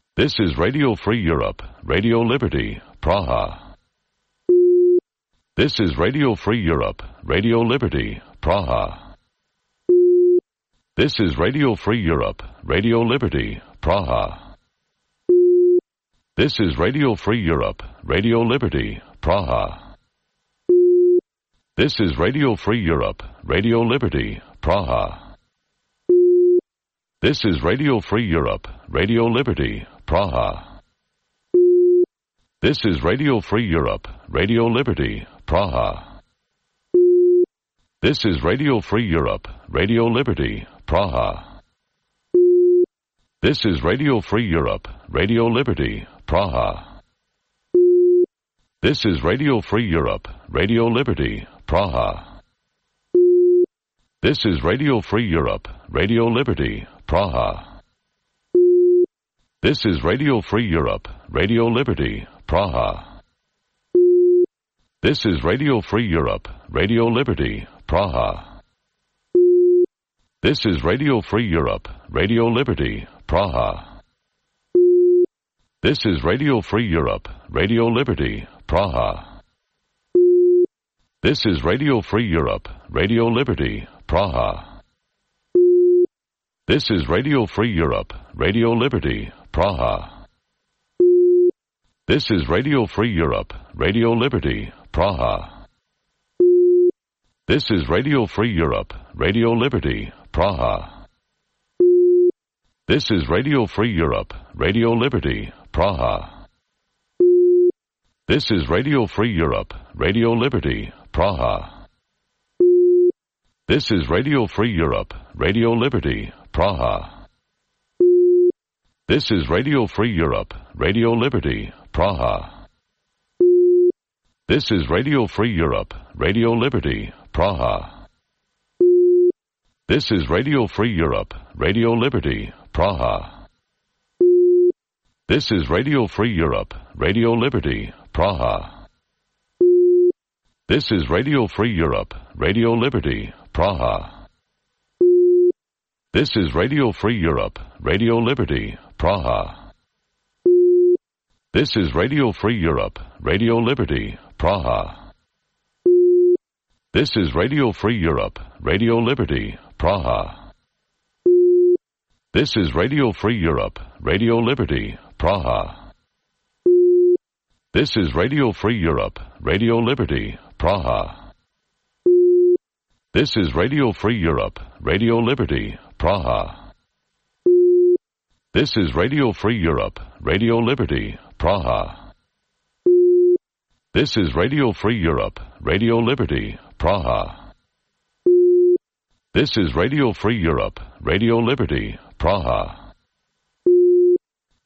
This is Radio Free Europe, Radio Liberty, Praha. This is Radio Free Europe, Radio Liberty, Praha. This is Radio Free Europe, Radio Liberty, Praha. This is Radio Free Europe, Radio Liberty, Praha. This is Radio Free Europe, Radio Liberty, Praha. This is Radio Free Europe, Radio Liberty, Praha. This is Radio Free Europe, Radio Liberty, Praha. This is Radio Free Europe, Radio Liberty, Praha. This is Radio Free Europe, Radio Liberty, Praha. This is Radio Free Europe, Radio Liberty, Praha. This is Radio Free Europe, Radio Liberty, Praha. This is Radio Free Europe, Radio Liberty, Praha. This is Radio Free Europe, Radio Liberty, Praha. This is Radio Free Europe, Radio Liberty, Praha. This is Radio Free Europe, Radio Liberty, Praha. This is Radio Free Europe, Radio Liberty, Praha. This is Radio Free Europe, Radio Liberty, Praha. This is Radio Free Europe, Radio Liberty, Praha. This is Radio Free Europe, Radio Liberty, Praha. This is Radio Free Europe, Radio Liberty, Praha. This is Radio Free Europe, Radio Liberty, Praha. This is Radio Free Europe, Radio Liberty, Praha. This is Radio Free Europe, Radio Liberty, Praha. This is Radio Free Europe, Radio Liberty, Praha. This is Radio Free Europe, Radio Liberty, Praha. This is Radio Free Europe, Radio Liberty, Praha. This is Radio Free Europe, Radio Liberty, Praha. This is Radio Free Europe, Radio Liberty, Praha. This is Radio Free Europe, Radio Liberty, Praha. This is Radio Free Europe, Radio Liberty, Praha. This is Radio Free Europe, Radio Liberty, Praha. This is Radio Free Europe, Radio Liberty, Praha. This is Radio Free Europe, Radio Liberty, Praha. This is Radio Free Europe, Radio Liberty, Praha. This is Radio Free Europe, Radio Liberty, Praha. This is Radio Free Europe, Radio Liberty, Praha.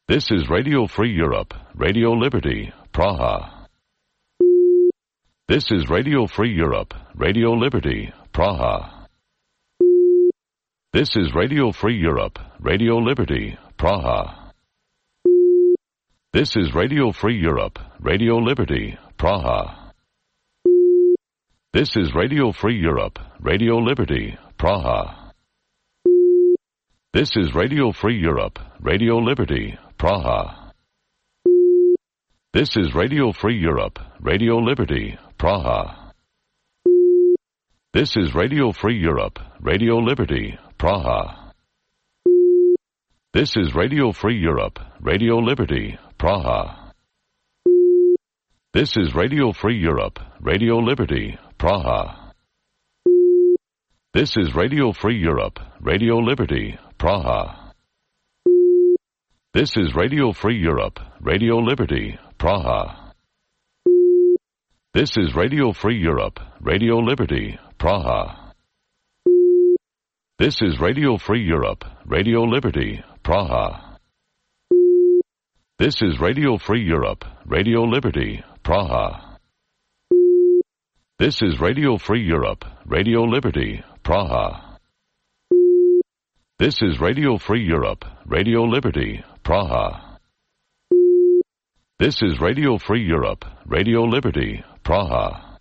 This is Radio Free Europe, Radio Liberty, Praha. This is Radio Free Europe, Radio Liberty, Praha. This is Radio Free Europe, Radio Liberty, Praha. This is Radio Free Europe, Radio Liberty, Praha. This is Radio Free Europe, Radio Liberty, Praha. This is Radio Free Europe, Radio Liberty, Praha. This is Radio Free Europe, Radio Liberty, Praha. This is Radio Free Europe, Radio Liberty, Praha. This is Radio Free Europe, Radio Liberty, Praha. This is Radio Free Europe, Radio Liberty, Praha. This is Radio Free Europe, Radio Liberty, Praha. This is Radio Free Europe, Radio Liberty, Praha. This is Radio Free Europe, Radio Liberty, Praha. This is Radio Free Europe, Radio Liberty, Praha. This is Radio Free Europe, Radio Liberty, Praha. This is Radio Free Europe, Radio Liberty, Praha. This is Radio Free Europe, Radio Liberty, Praha. This is Radio Free Europe, Radio Liberty, Praha.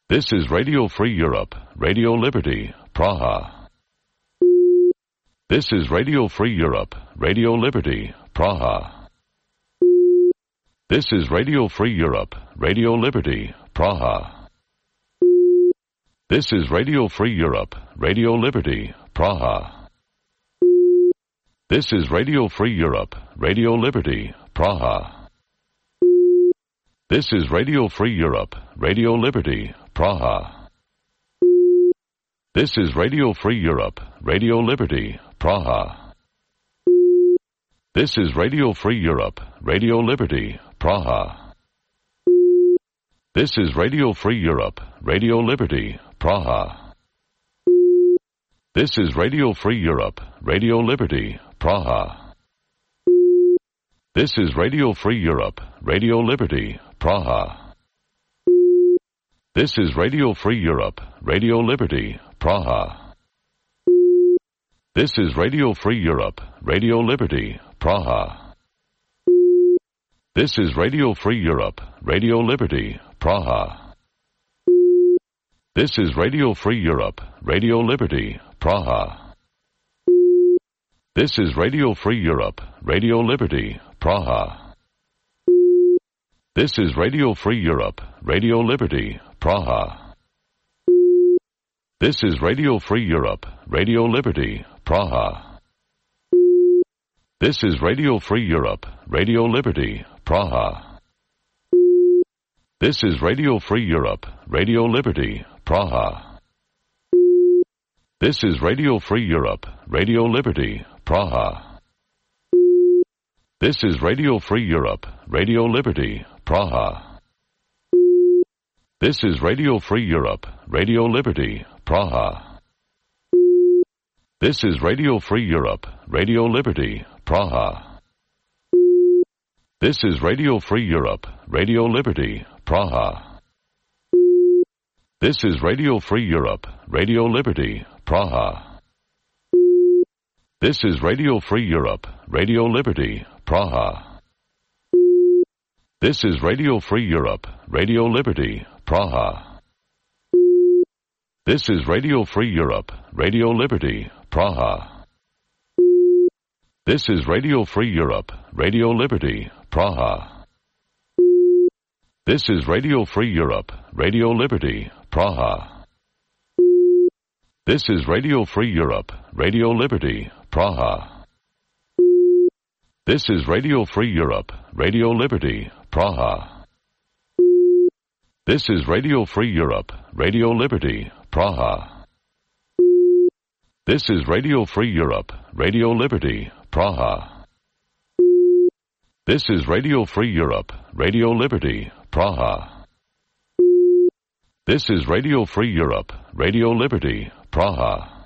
This is Radio Free Europe, Radio Liberty, Praha. This is Radio Free Europe, Radio Liberty, Praha. This is Radio Free Europe, Radio Liberty, Praha. This is Radio Free Europe, Radio Liberty, Praha. This is Radio Free Europe, Radio Liberty, Praha. This is Radio Free Europe, Radio Liberty, Praha. This is Radio Free Europe, Radio Liberty, Praha. This is Radio Free Europe, Radio Liberty, Praha. This is Radio Free Europe, Radio Liberty, Praha. This is Radio Free Europe, Radio Liberty, Praha. This is Radio Free Europe, Radio Liberty, Praha. This is Radio Free Europe, Radio Liberty, Praha. This is Radio Free Europe, Radio Liberty, Praha. This is Radio Free Europe, Radio Liberty, Praha. This is Radio Free Europe, Radio Liberty, Praha. This is Radio Free Europe, Radio Liberty, Praha. This is Radio Free Europe, Radio Liberty, Praha. This is Radio Free Europe, Radio Liberty, Praha. This is Radio Free Europe, Radio Liberty, Praha. This is Radio Free Europe, Radio Liberty, Praha. This is Radio Free Europe, Radio Liberty, Praha. This is Radio Free Europe, Radio Liberty, Praha. This is Radio Free Europe, Radio Liberty, Praha. This is Radio Free Europe, Radio Liberty, Praha. This is Radio Free Europe, Radio Liberty, Praha. This is Radio Free Europe, Radio Liberty, Praha. This is Radio Free Europe, Radio Liberty, Praha. This is Radio Free Europe, Radio Liberty, Praha. This is Radio Free Europe, Radio Liberty, Praha. This is Radio Free Europe, Radio Liberty, Praha. This is Radio Free Europe, Radio Liberty, Praha. This is Radio Free Europe, Radio Liberty, Praha. This is Radio Free Europe, Radio Liberty, Praha. This is Radio Free Europe, Radio Liberty, Praha. This is Radio Free Europe, Radio Liberty, Praha. This is Radio Free Europe, Radio Liberty, Praha. This is Radio Free Europe, Radio Liberty, Praha.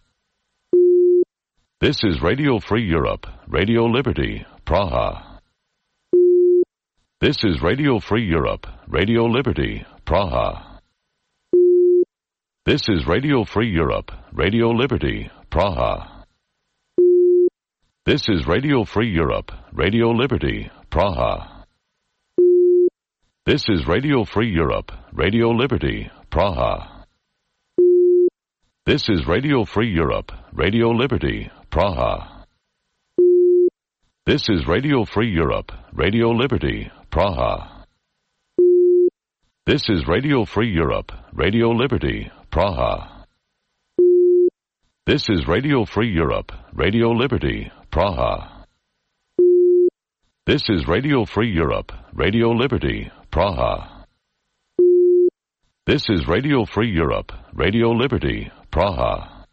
This is Radio Free Europe, Radio Liberty, Praha. This is Radio Free Europe, Radio Liberty, Praha. This is Radio Free Europe, Radio Liberty, Praha. This is Radio Free Europe, Radio Liberty, Praha. This is Radio Free Europe, Radio Liberty, Praha. This is Radio Free Europe, Radio Liberty, Praha. This is Radio Free Europe, Radio Liberty, Praha. This is Radio Free Europe, Radio Liberty, Praha. This is Radio Free Europe, Radio Liberty, Praha. This is Radio Free Europe, Radio Liberty, Praha. This is Radio Free Europe, Radio Liberty, Praha.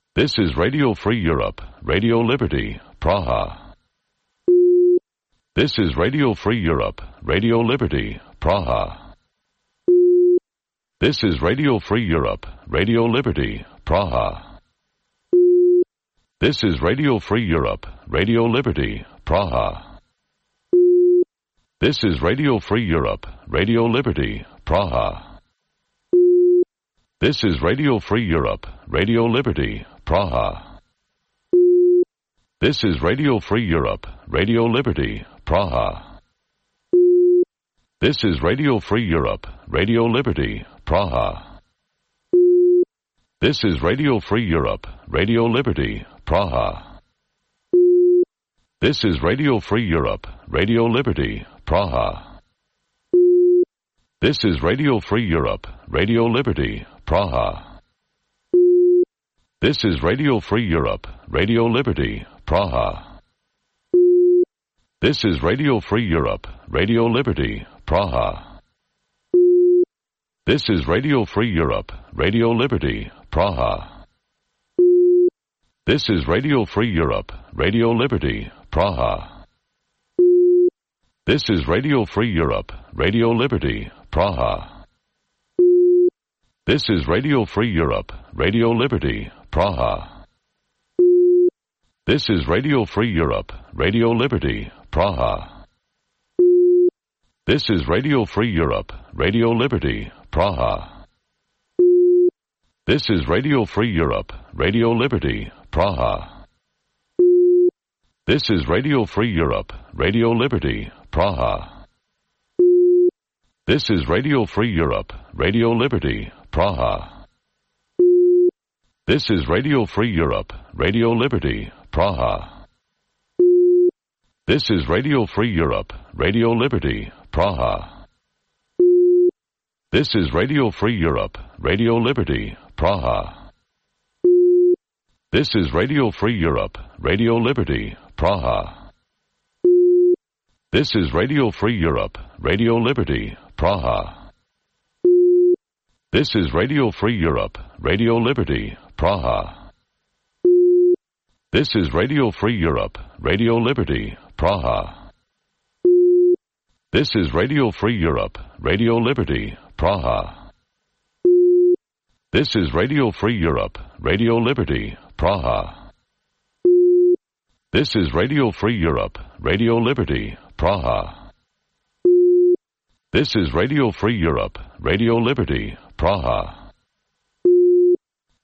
This is Radio Free Europe, Radio Liberty, Praha. This is Radio Free Europe, Radio Liberty, Praha. This is Radio Free Europe, Radio Liberty, Praha. This is Radio Free Europe, Radio Liberty, Praha. This is Radio Free Europe, Radio Liberty, Praha. This is Radio Free Europe, Radio Liberty, Praha. This is Radio Free Europe, Radio Liberty, Praha. This is Radio Free Europe, Radio Liberty, Praha. This is Radio Free Europe, Radio Liberty, Praha. This is Radio Free Europe, Radio Liberty, Praha. This is Radio Free Europe, Radio Liberty, Praha. This is Radio Free Europe, Radio Liberty, Praha. This is Radio Free Europe, Radio Liberty, Praha. This is Radio Free Europe, Radio Liberty, Praha. This is Radio Free Europe, Radio Liberty, Praha. This is Radio Free Europe, Radio Liberty, Praha. This is Radio Free Europe, Radio Liberty, Praha. This is Radio Free Europe, Radio Liberty, Praha. This is Radio Free Europe, Radio Liberty, Praha. This is Radio Free Europe, Radio Liberty, Praha. This is Radio Free Europe, Radio Liberty, Praha. This is Radio Free Europe, Radio Liberty, Praha. This is Radio Free Europe, Radio Liberty, Praha. This is Radio Free Europe, Radio Liberty, Praha. This is Radio Free Europe, Radio Liberty, Praha. This is Radio Free Europe, Radio Liberty, Praha. This is Radio Free Europe, Radio Liberty, Praha. This is Radio Free Europe, Radio Liberty, Praha. This is Radio Free Europe, Radio Liberty, Praha. This is Radio Free Europe, Radio Liberty, Praha. This is Radio Free Europe, Radio Liberty, Praha. This is Radio Free Europe, Radio Liberty, Praha. This is Radio Free Europe, Radio Liberty, Praha.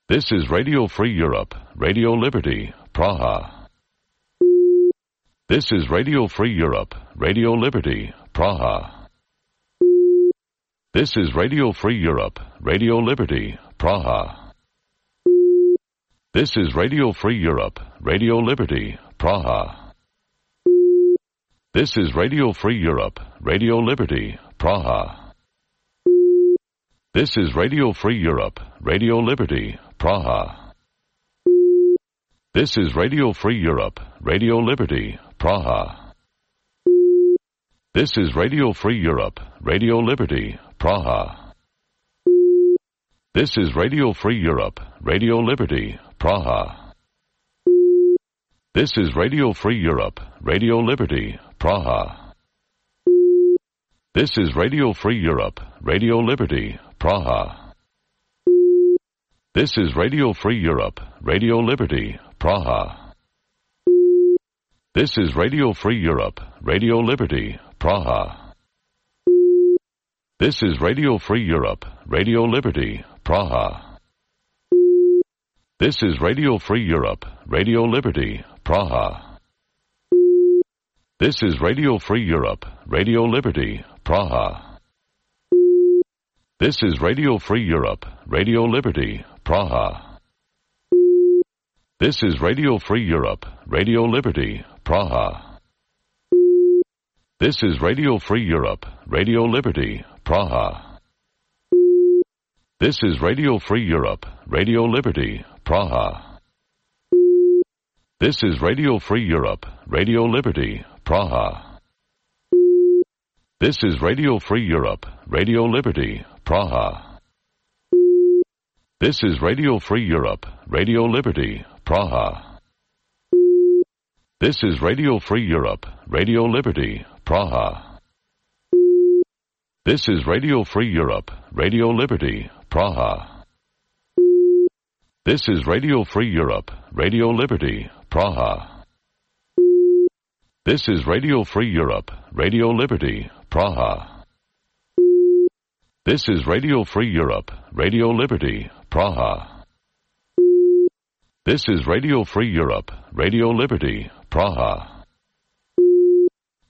This is Radio Free Europe, Radio Liberty, Praha. This is Radio Free Europe, Radio Liberty, Praha. This is Radio Free Europe, Radio Liberty, Praha. This is Radio Free Europe, Radio Liberty, Praha. This is Radio Free Europe, Radio Liberty, Praha. This is Radio Free Europe, Radio Liberty, Praha. This is Radio Free Europe, Radio Liberty, Praha. This is Radio Free Europe, Radio Liberty, Praha. This is Radio Free Europe, Radio Liberty, Praha. This is Radio Free Europe, Radio Liberty, Praha. This is Radio Free Europe, Radio Liberty, Praha. This is Radio Free Europe, Radio Liberty, Praha. This is Radio Free Europe, Radio Liberty, Praha. This is Radio Free Europe, Radio Liberty, Praha. This is Radio Free Europe, Radio Liberty, Praha. This is Radio Free Europe, Radio Liberty, Praha. This is Radio Free Europe, Radio Liberty, Praha. This is Radio Free Europe, Radio Liberty, Praha. This is Radio Free Europe, Radio Liberty, Praha. This is Radio Free Europe, Radio Liberty, Praha. This is Radio Free Europe, Radio Liberty, Praha. This is Radio Free Europe, Radio Liberty, Praha. This is Radio Free Europe, Radio Liberty, Praha. This is Radio Free Europe, Radio Liberty, Praha. This is Radio Free Europe, Radio Liberty, Praha. This is Radio Free Europe, Radio Liberty, Praha. This is Radio Free Europe, Radio Liberty, Praha. This is Radio Free Europe, Radio Liberty, Praha. This is Radio Free Europe, Radio Liberty, Praha.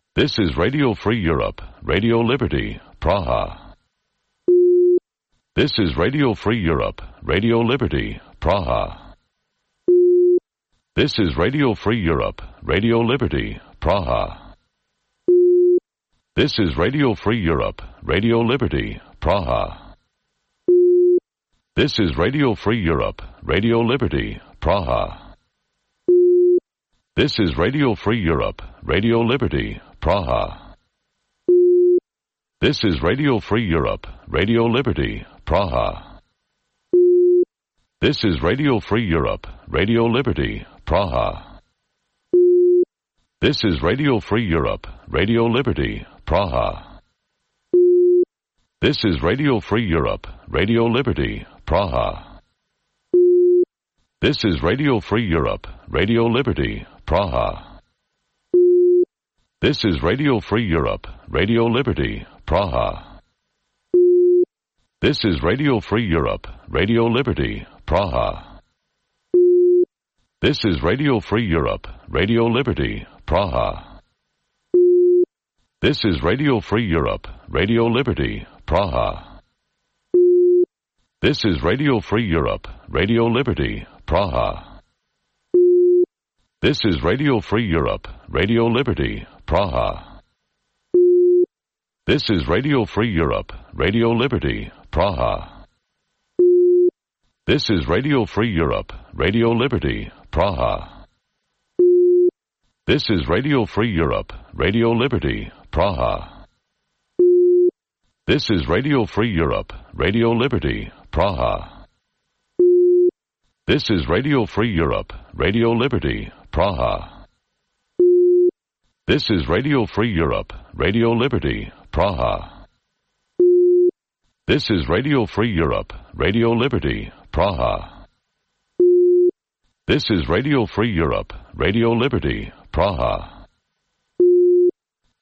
This is Radio Free Europe, Radio Liberty, Praha. This is Radio Free Europe, Radio Liberty, Praha. This is Radio Free Europe, Radio Liberty, Praha. This is Radio Free Europe, Radio Liberty, Praha. This is Radio Free Europe, Radio Liberty, Praha. This is Radio Free Europe, Radio Liberty, Praha. This is Radio Free Europe, Radio Liberty, Praha. This is Radio Free Europe, Radio Liberty, Praha. This is Radio Free Europe, Radio Liberty, Praha. This is Radio Free Europe, Radio Liberty, Praha. This is Radio Free Europe, Radio Liberty, Praha. This is Radio Free Europe, Radio Liberty, Praha. This is Radio Free Europe, Radio Liberty, Praha. This is Radio Free Europe, Radio Liberty, Praha. This is Radio Free Europe, Radio Liberty, Praha. This is Radio Free Europe, Radio Liberty, Praha. This is Radio Free Europe, Radio Liberty, Praha. This is Radio Free Europe, Radio Liberty, Praha. This is Radio Free Europe, Radio Liberty, Praha. This is Radio Free Europe, Radio Liberty, Praha. This is Radio Free Europe, Radio Liberty, Praha. This is Radio Free Europe, Radio Liberty, Praha. This is Radio Free Europe, Radio Liberty, Praha. This is Radio Free Europe, Radio Liberty, Praha. This is Radio Free Europe, Radio Liberty, Praha.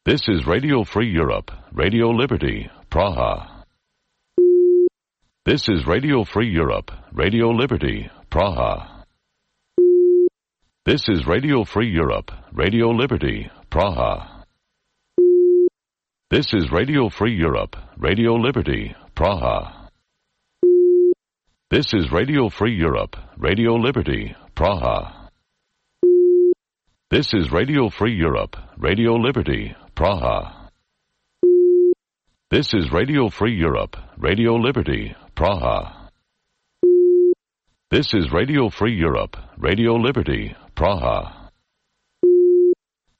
This is Radio Free Europe, Radio Liberty, Praha. This is Radio Free Europe, Radio Liberty, Praha. This is Radio Free Europe, Radio Liberty, Praha. This is Radio Free Europe, Radio Liberty, Praha. This is Radio Free Europe, Radio Liberty, Praha. This is Radio Free Europe, Radio Liberty, Praha. This is Radio Free Europe, Radio Liberty, Praha. This is Radio Free Europe, Radio Liberty, Praha.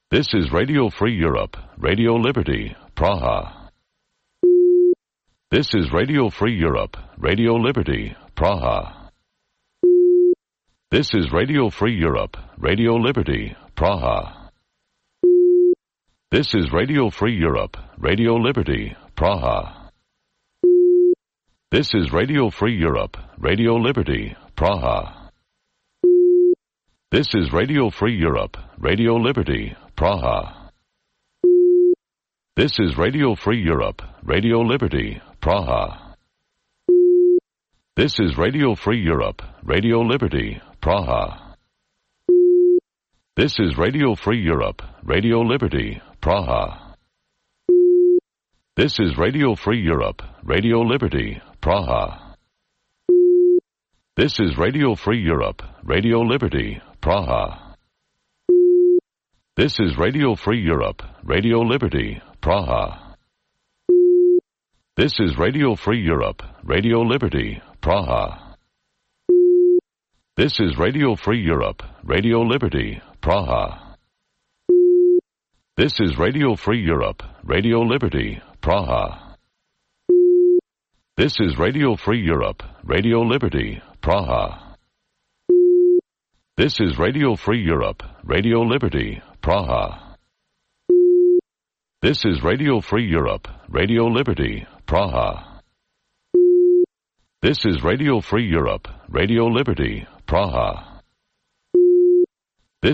This is Radio Free Europe, Radio Liberty, Praha. This is Radio Free Europe, Radio Liberty, Praha. This is Radio Free Europe, Radio Liberty, Praha. This is Radio Free Europe, Radio Liberty, Praha. This is Radio Free Europe, Radio Liberty, Praha. This is Radio Free Europe, Radio Liberty, Praha. This is Radio Free Europe, Radio Liberty, Praha. This is Radio Free Europe, Radio Liberty, Praha. This is Radio Free Europe, Radio Liberty, Praha. This is Radio Free Europe, Radio Liberty, Praha. This is Radio Free Europe, Radio Liberty, Praha. This is Radio Free Europe, Radio Liberty, Praha. This is Radio Free Europe, Radio Liberty, Praha. This is Radio Free Europe, Radio Liberty, Praha. This is Radio Free Europe, Radio Liberty, Praha. This is Radio Free Europe, Radio Liberty, Praha. This is Radio Free Europe, Radio Liberty, Praha. This is Radio Free Europe, Radio Liberty, Praha. This is Radio Free Europe, Radio Liberty, Praha.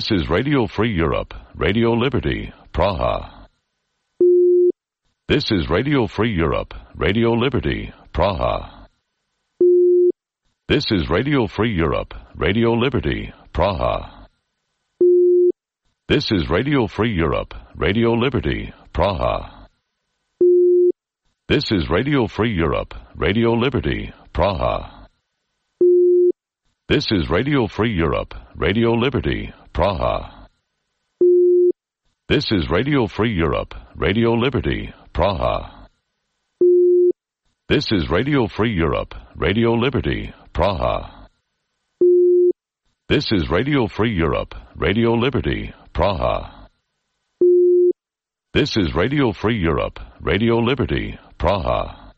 This is Radio Free Europe, Radio Liberty, Praha. This is Radio Free Europe, Radio Liberty, Praha. This is Radio Free Europe, Radio Liberty, Praha. This is Radio Free Europe, Radio Liberty, Praha. This is Radio Free Europe, Radio Liberty, Praha. This is Radio Free Europe, Radio Liberty, Praha. This is Radio Free Europe, Radio Liberty, Praha. This is Radio Free Europe, Radio Liberty, Praha. This is Radio Free Europe, Radio Liberty, Praha. This is Radio Free Europe, Radio Liberty, Praha.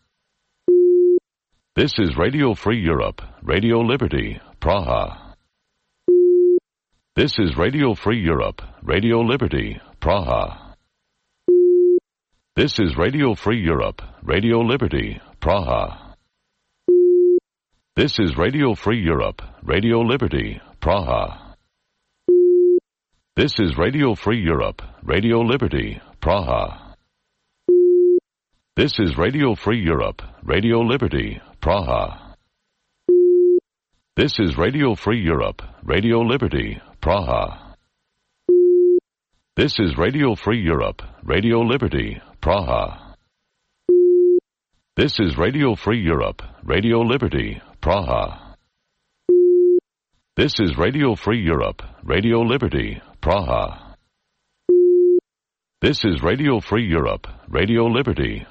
This is Radio Free Europe, Radio Liberty, Praha. This is Radio Free Europe, Radio Liberty, Praha. This is Radio Free Europe, Radio Liberty, Praha. This is Radio Free Europe, Radio Liberty, Praha. This is Radio Free Europe, Radio Liberty, Praha. This is Radio Free Europe, Radio Liberty, Praha. This is Radio Free Europe, Radio Liberty, Praha. This is Radio Free Europe, Radio Liberty, Praha. This is Radio Free Europe, Radio Liberty, Praha. This is Radio Free Europe, Radio Liberty, Praha. This is Radio Free Europe, Radio Liberty,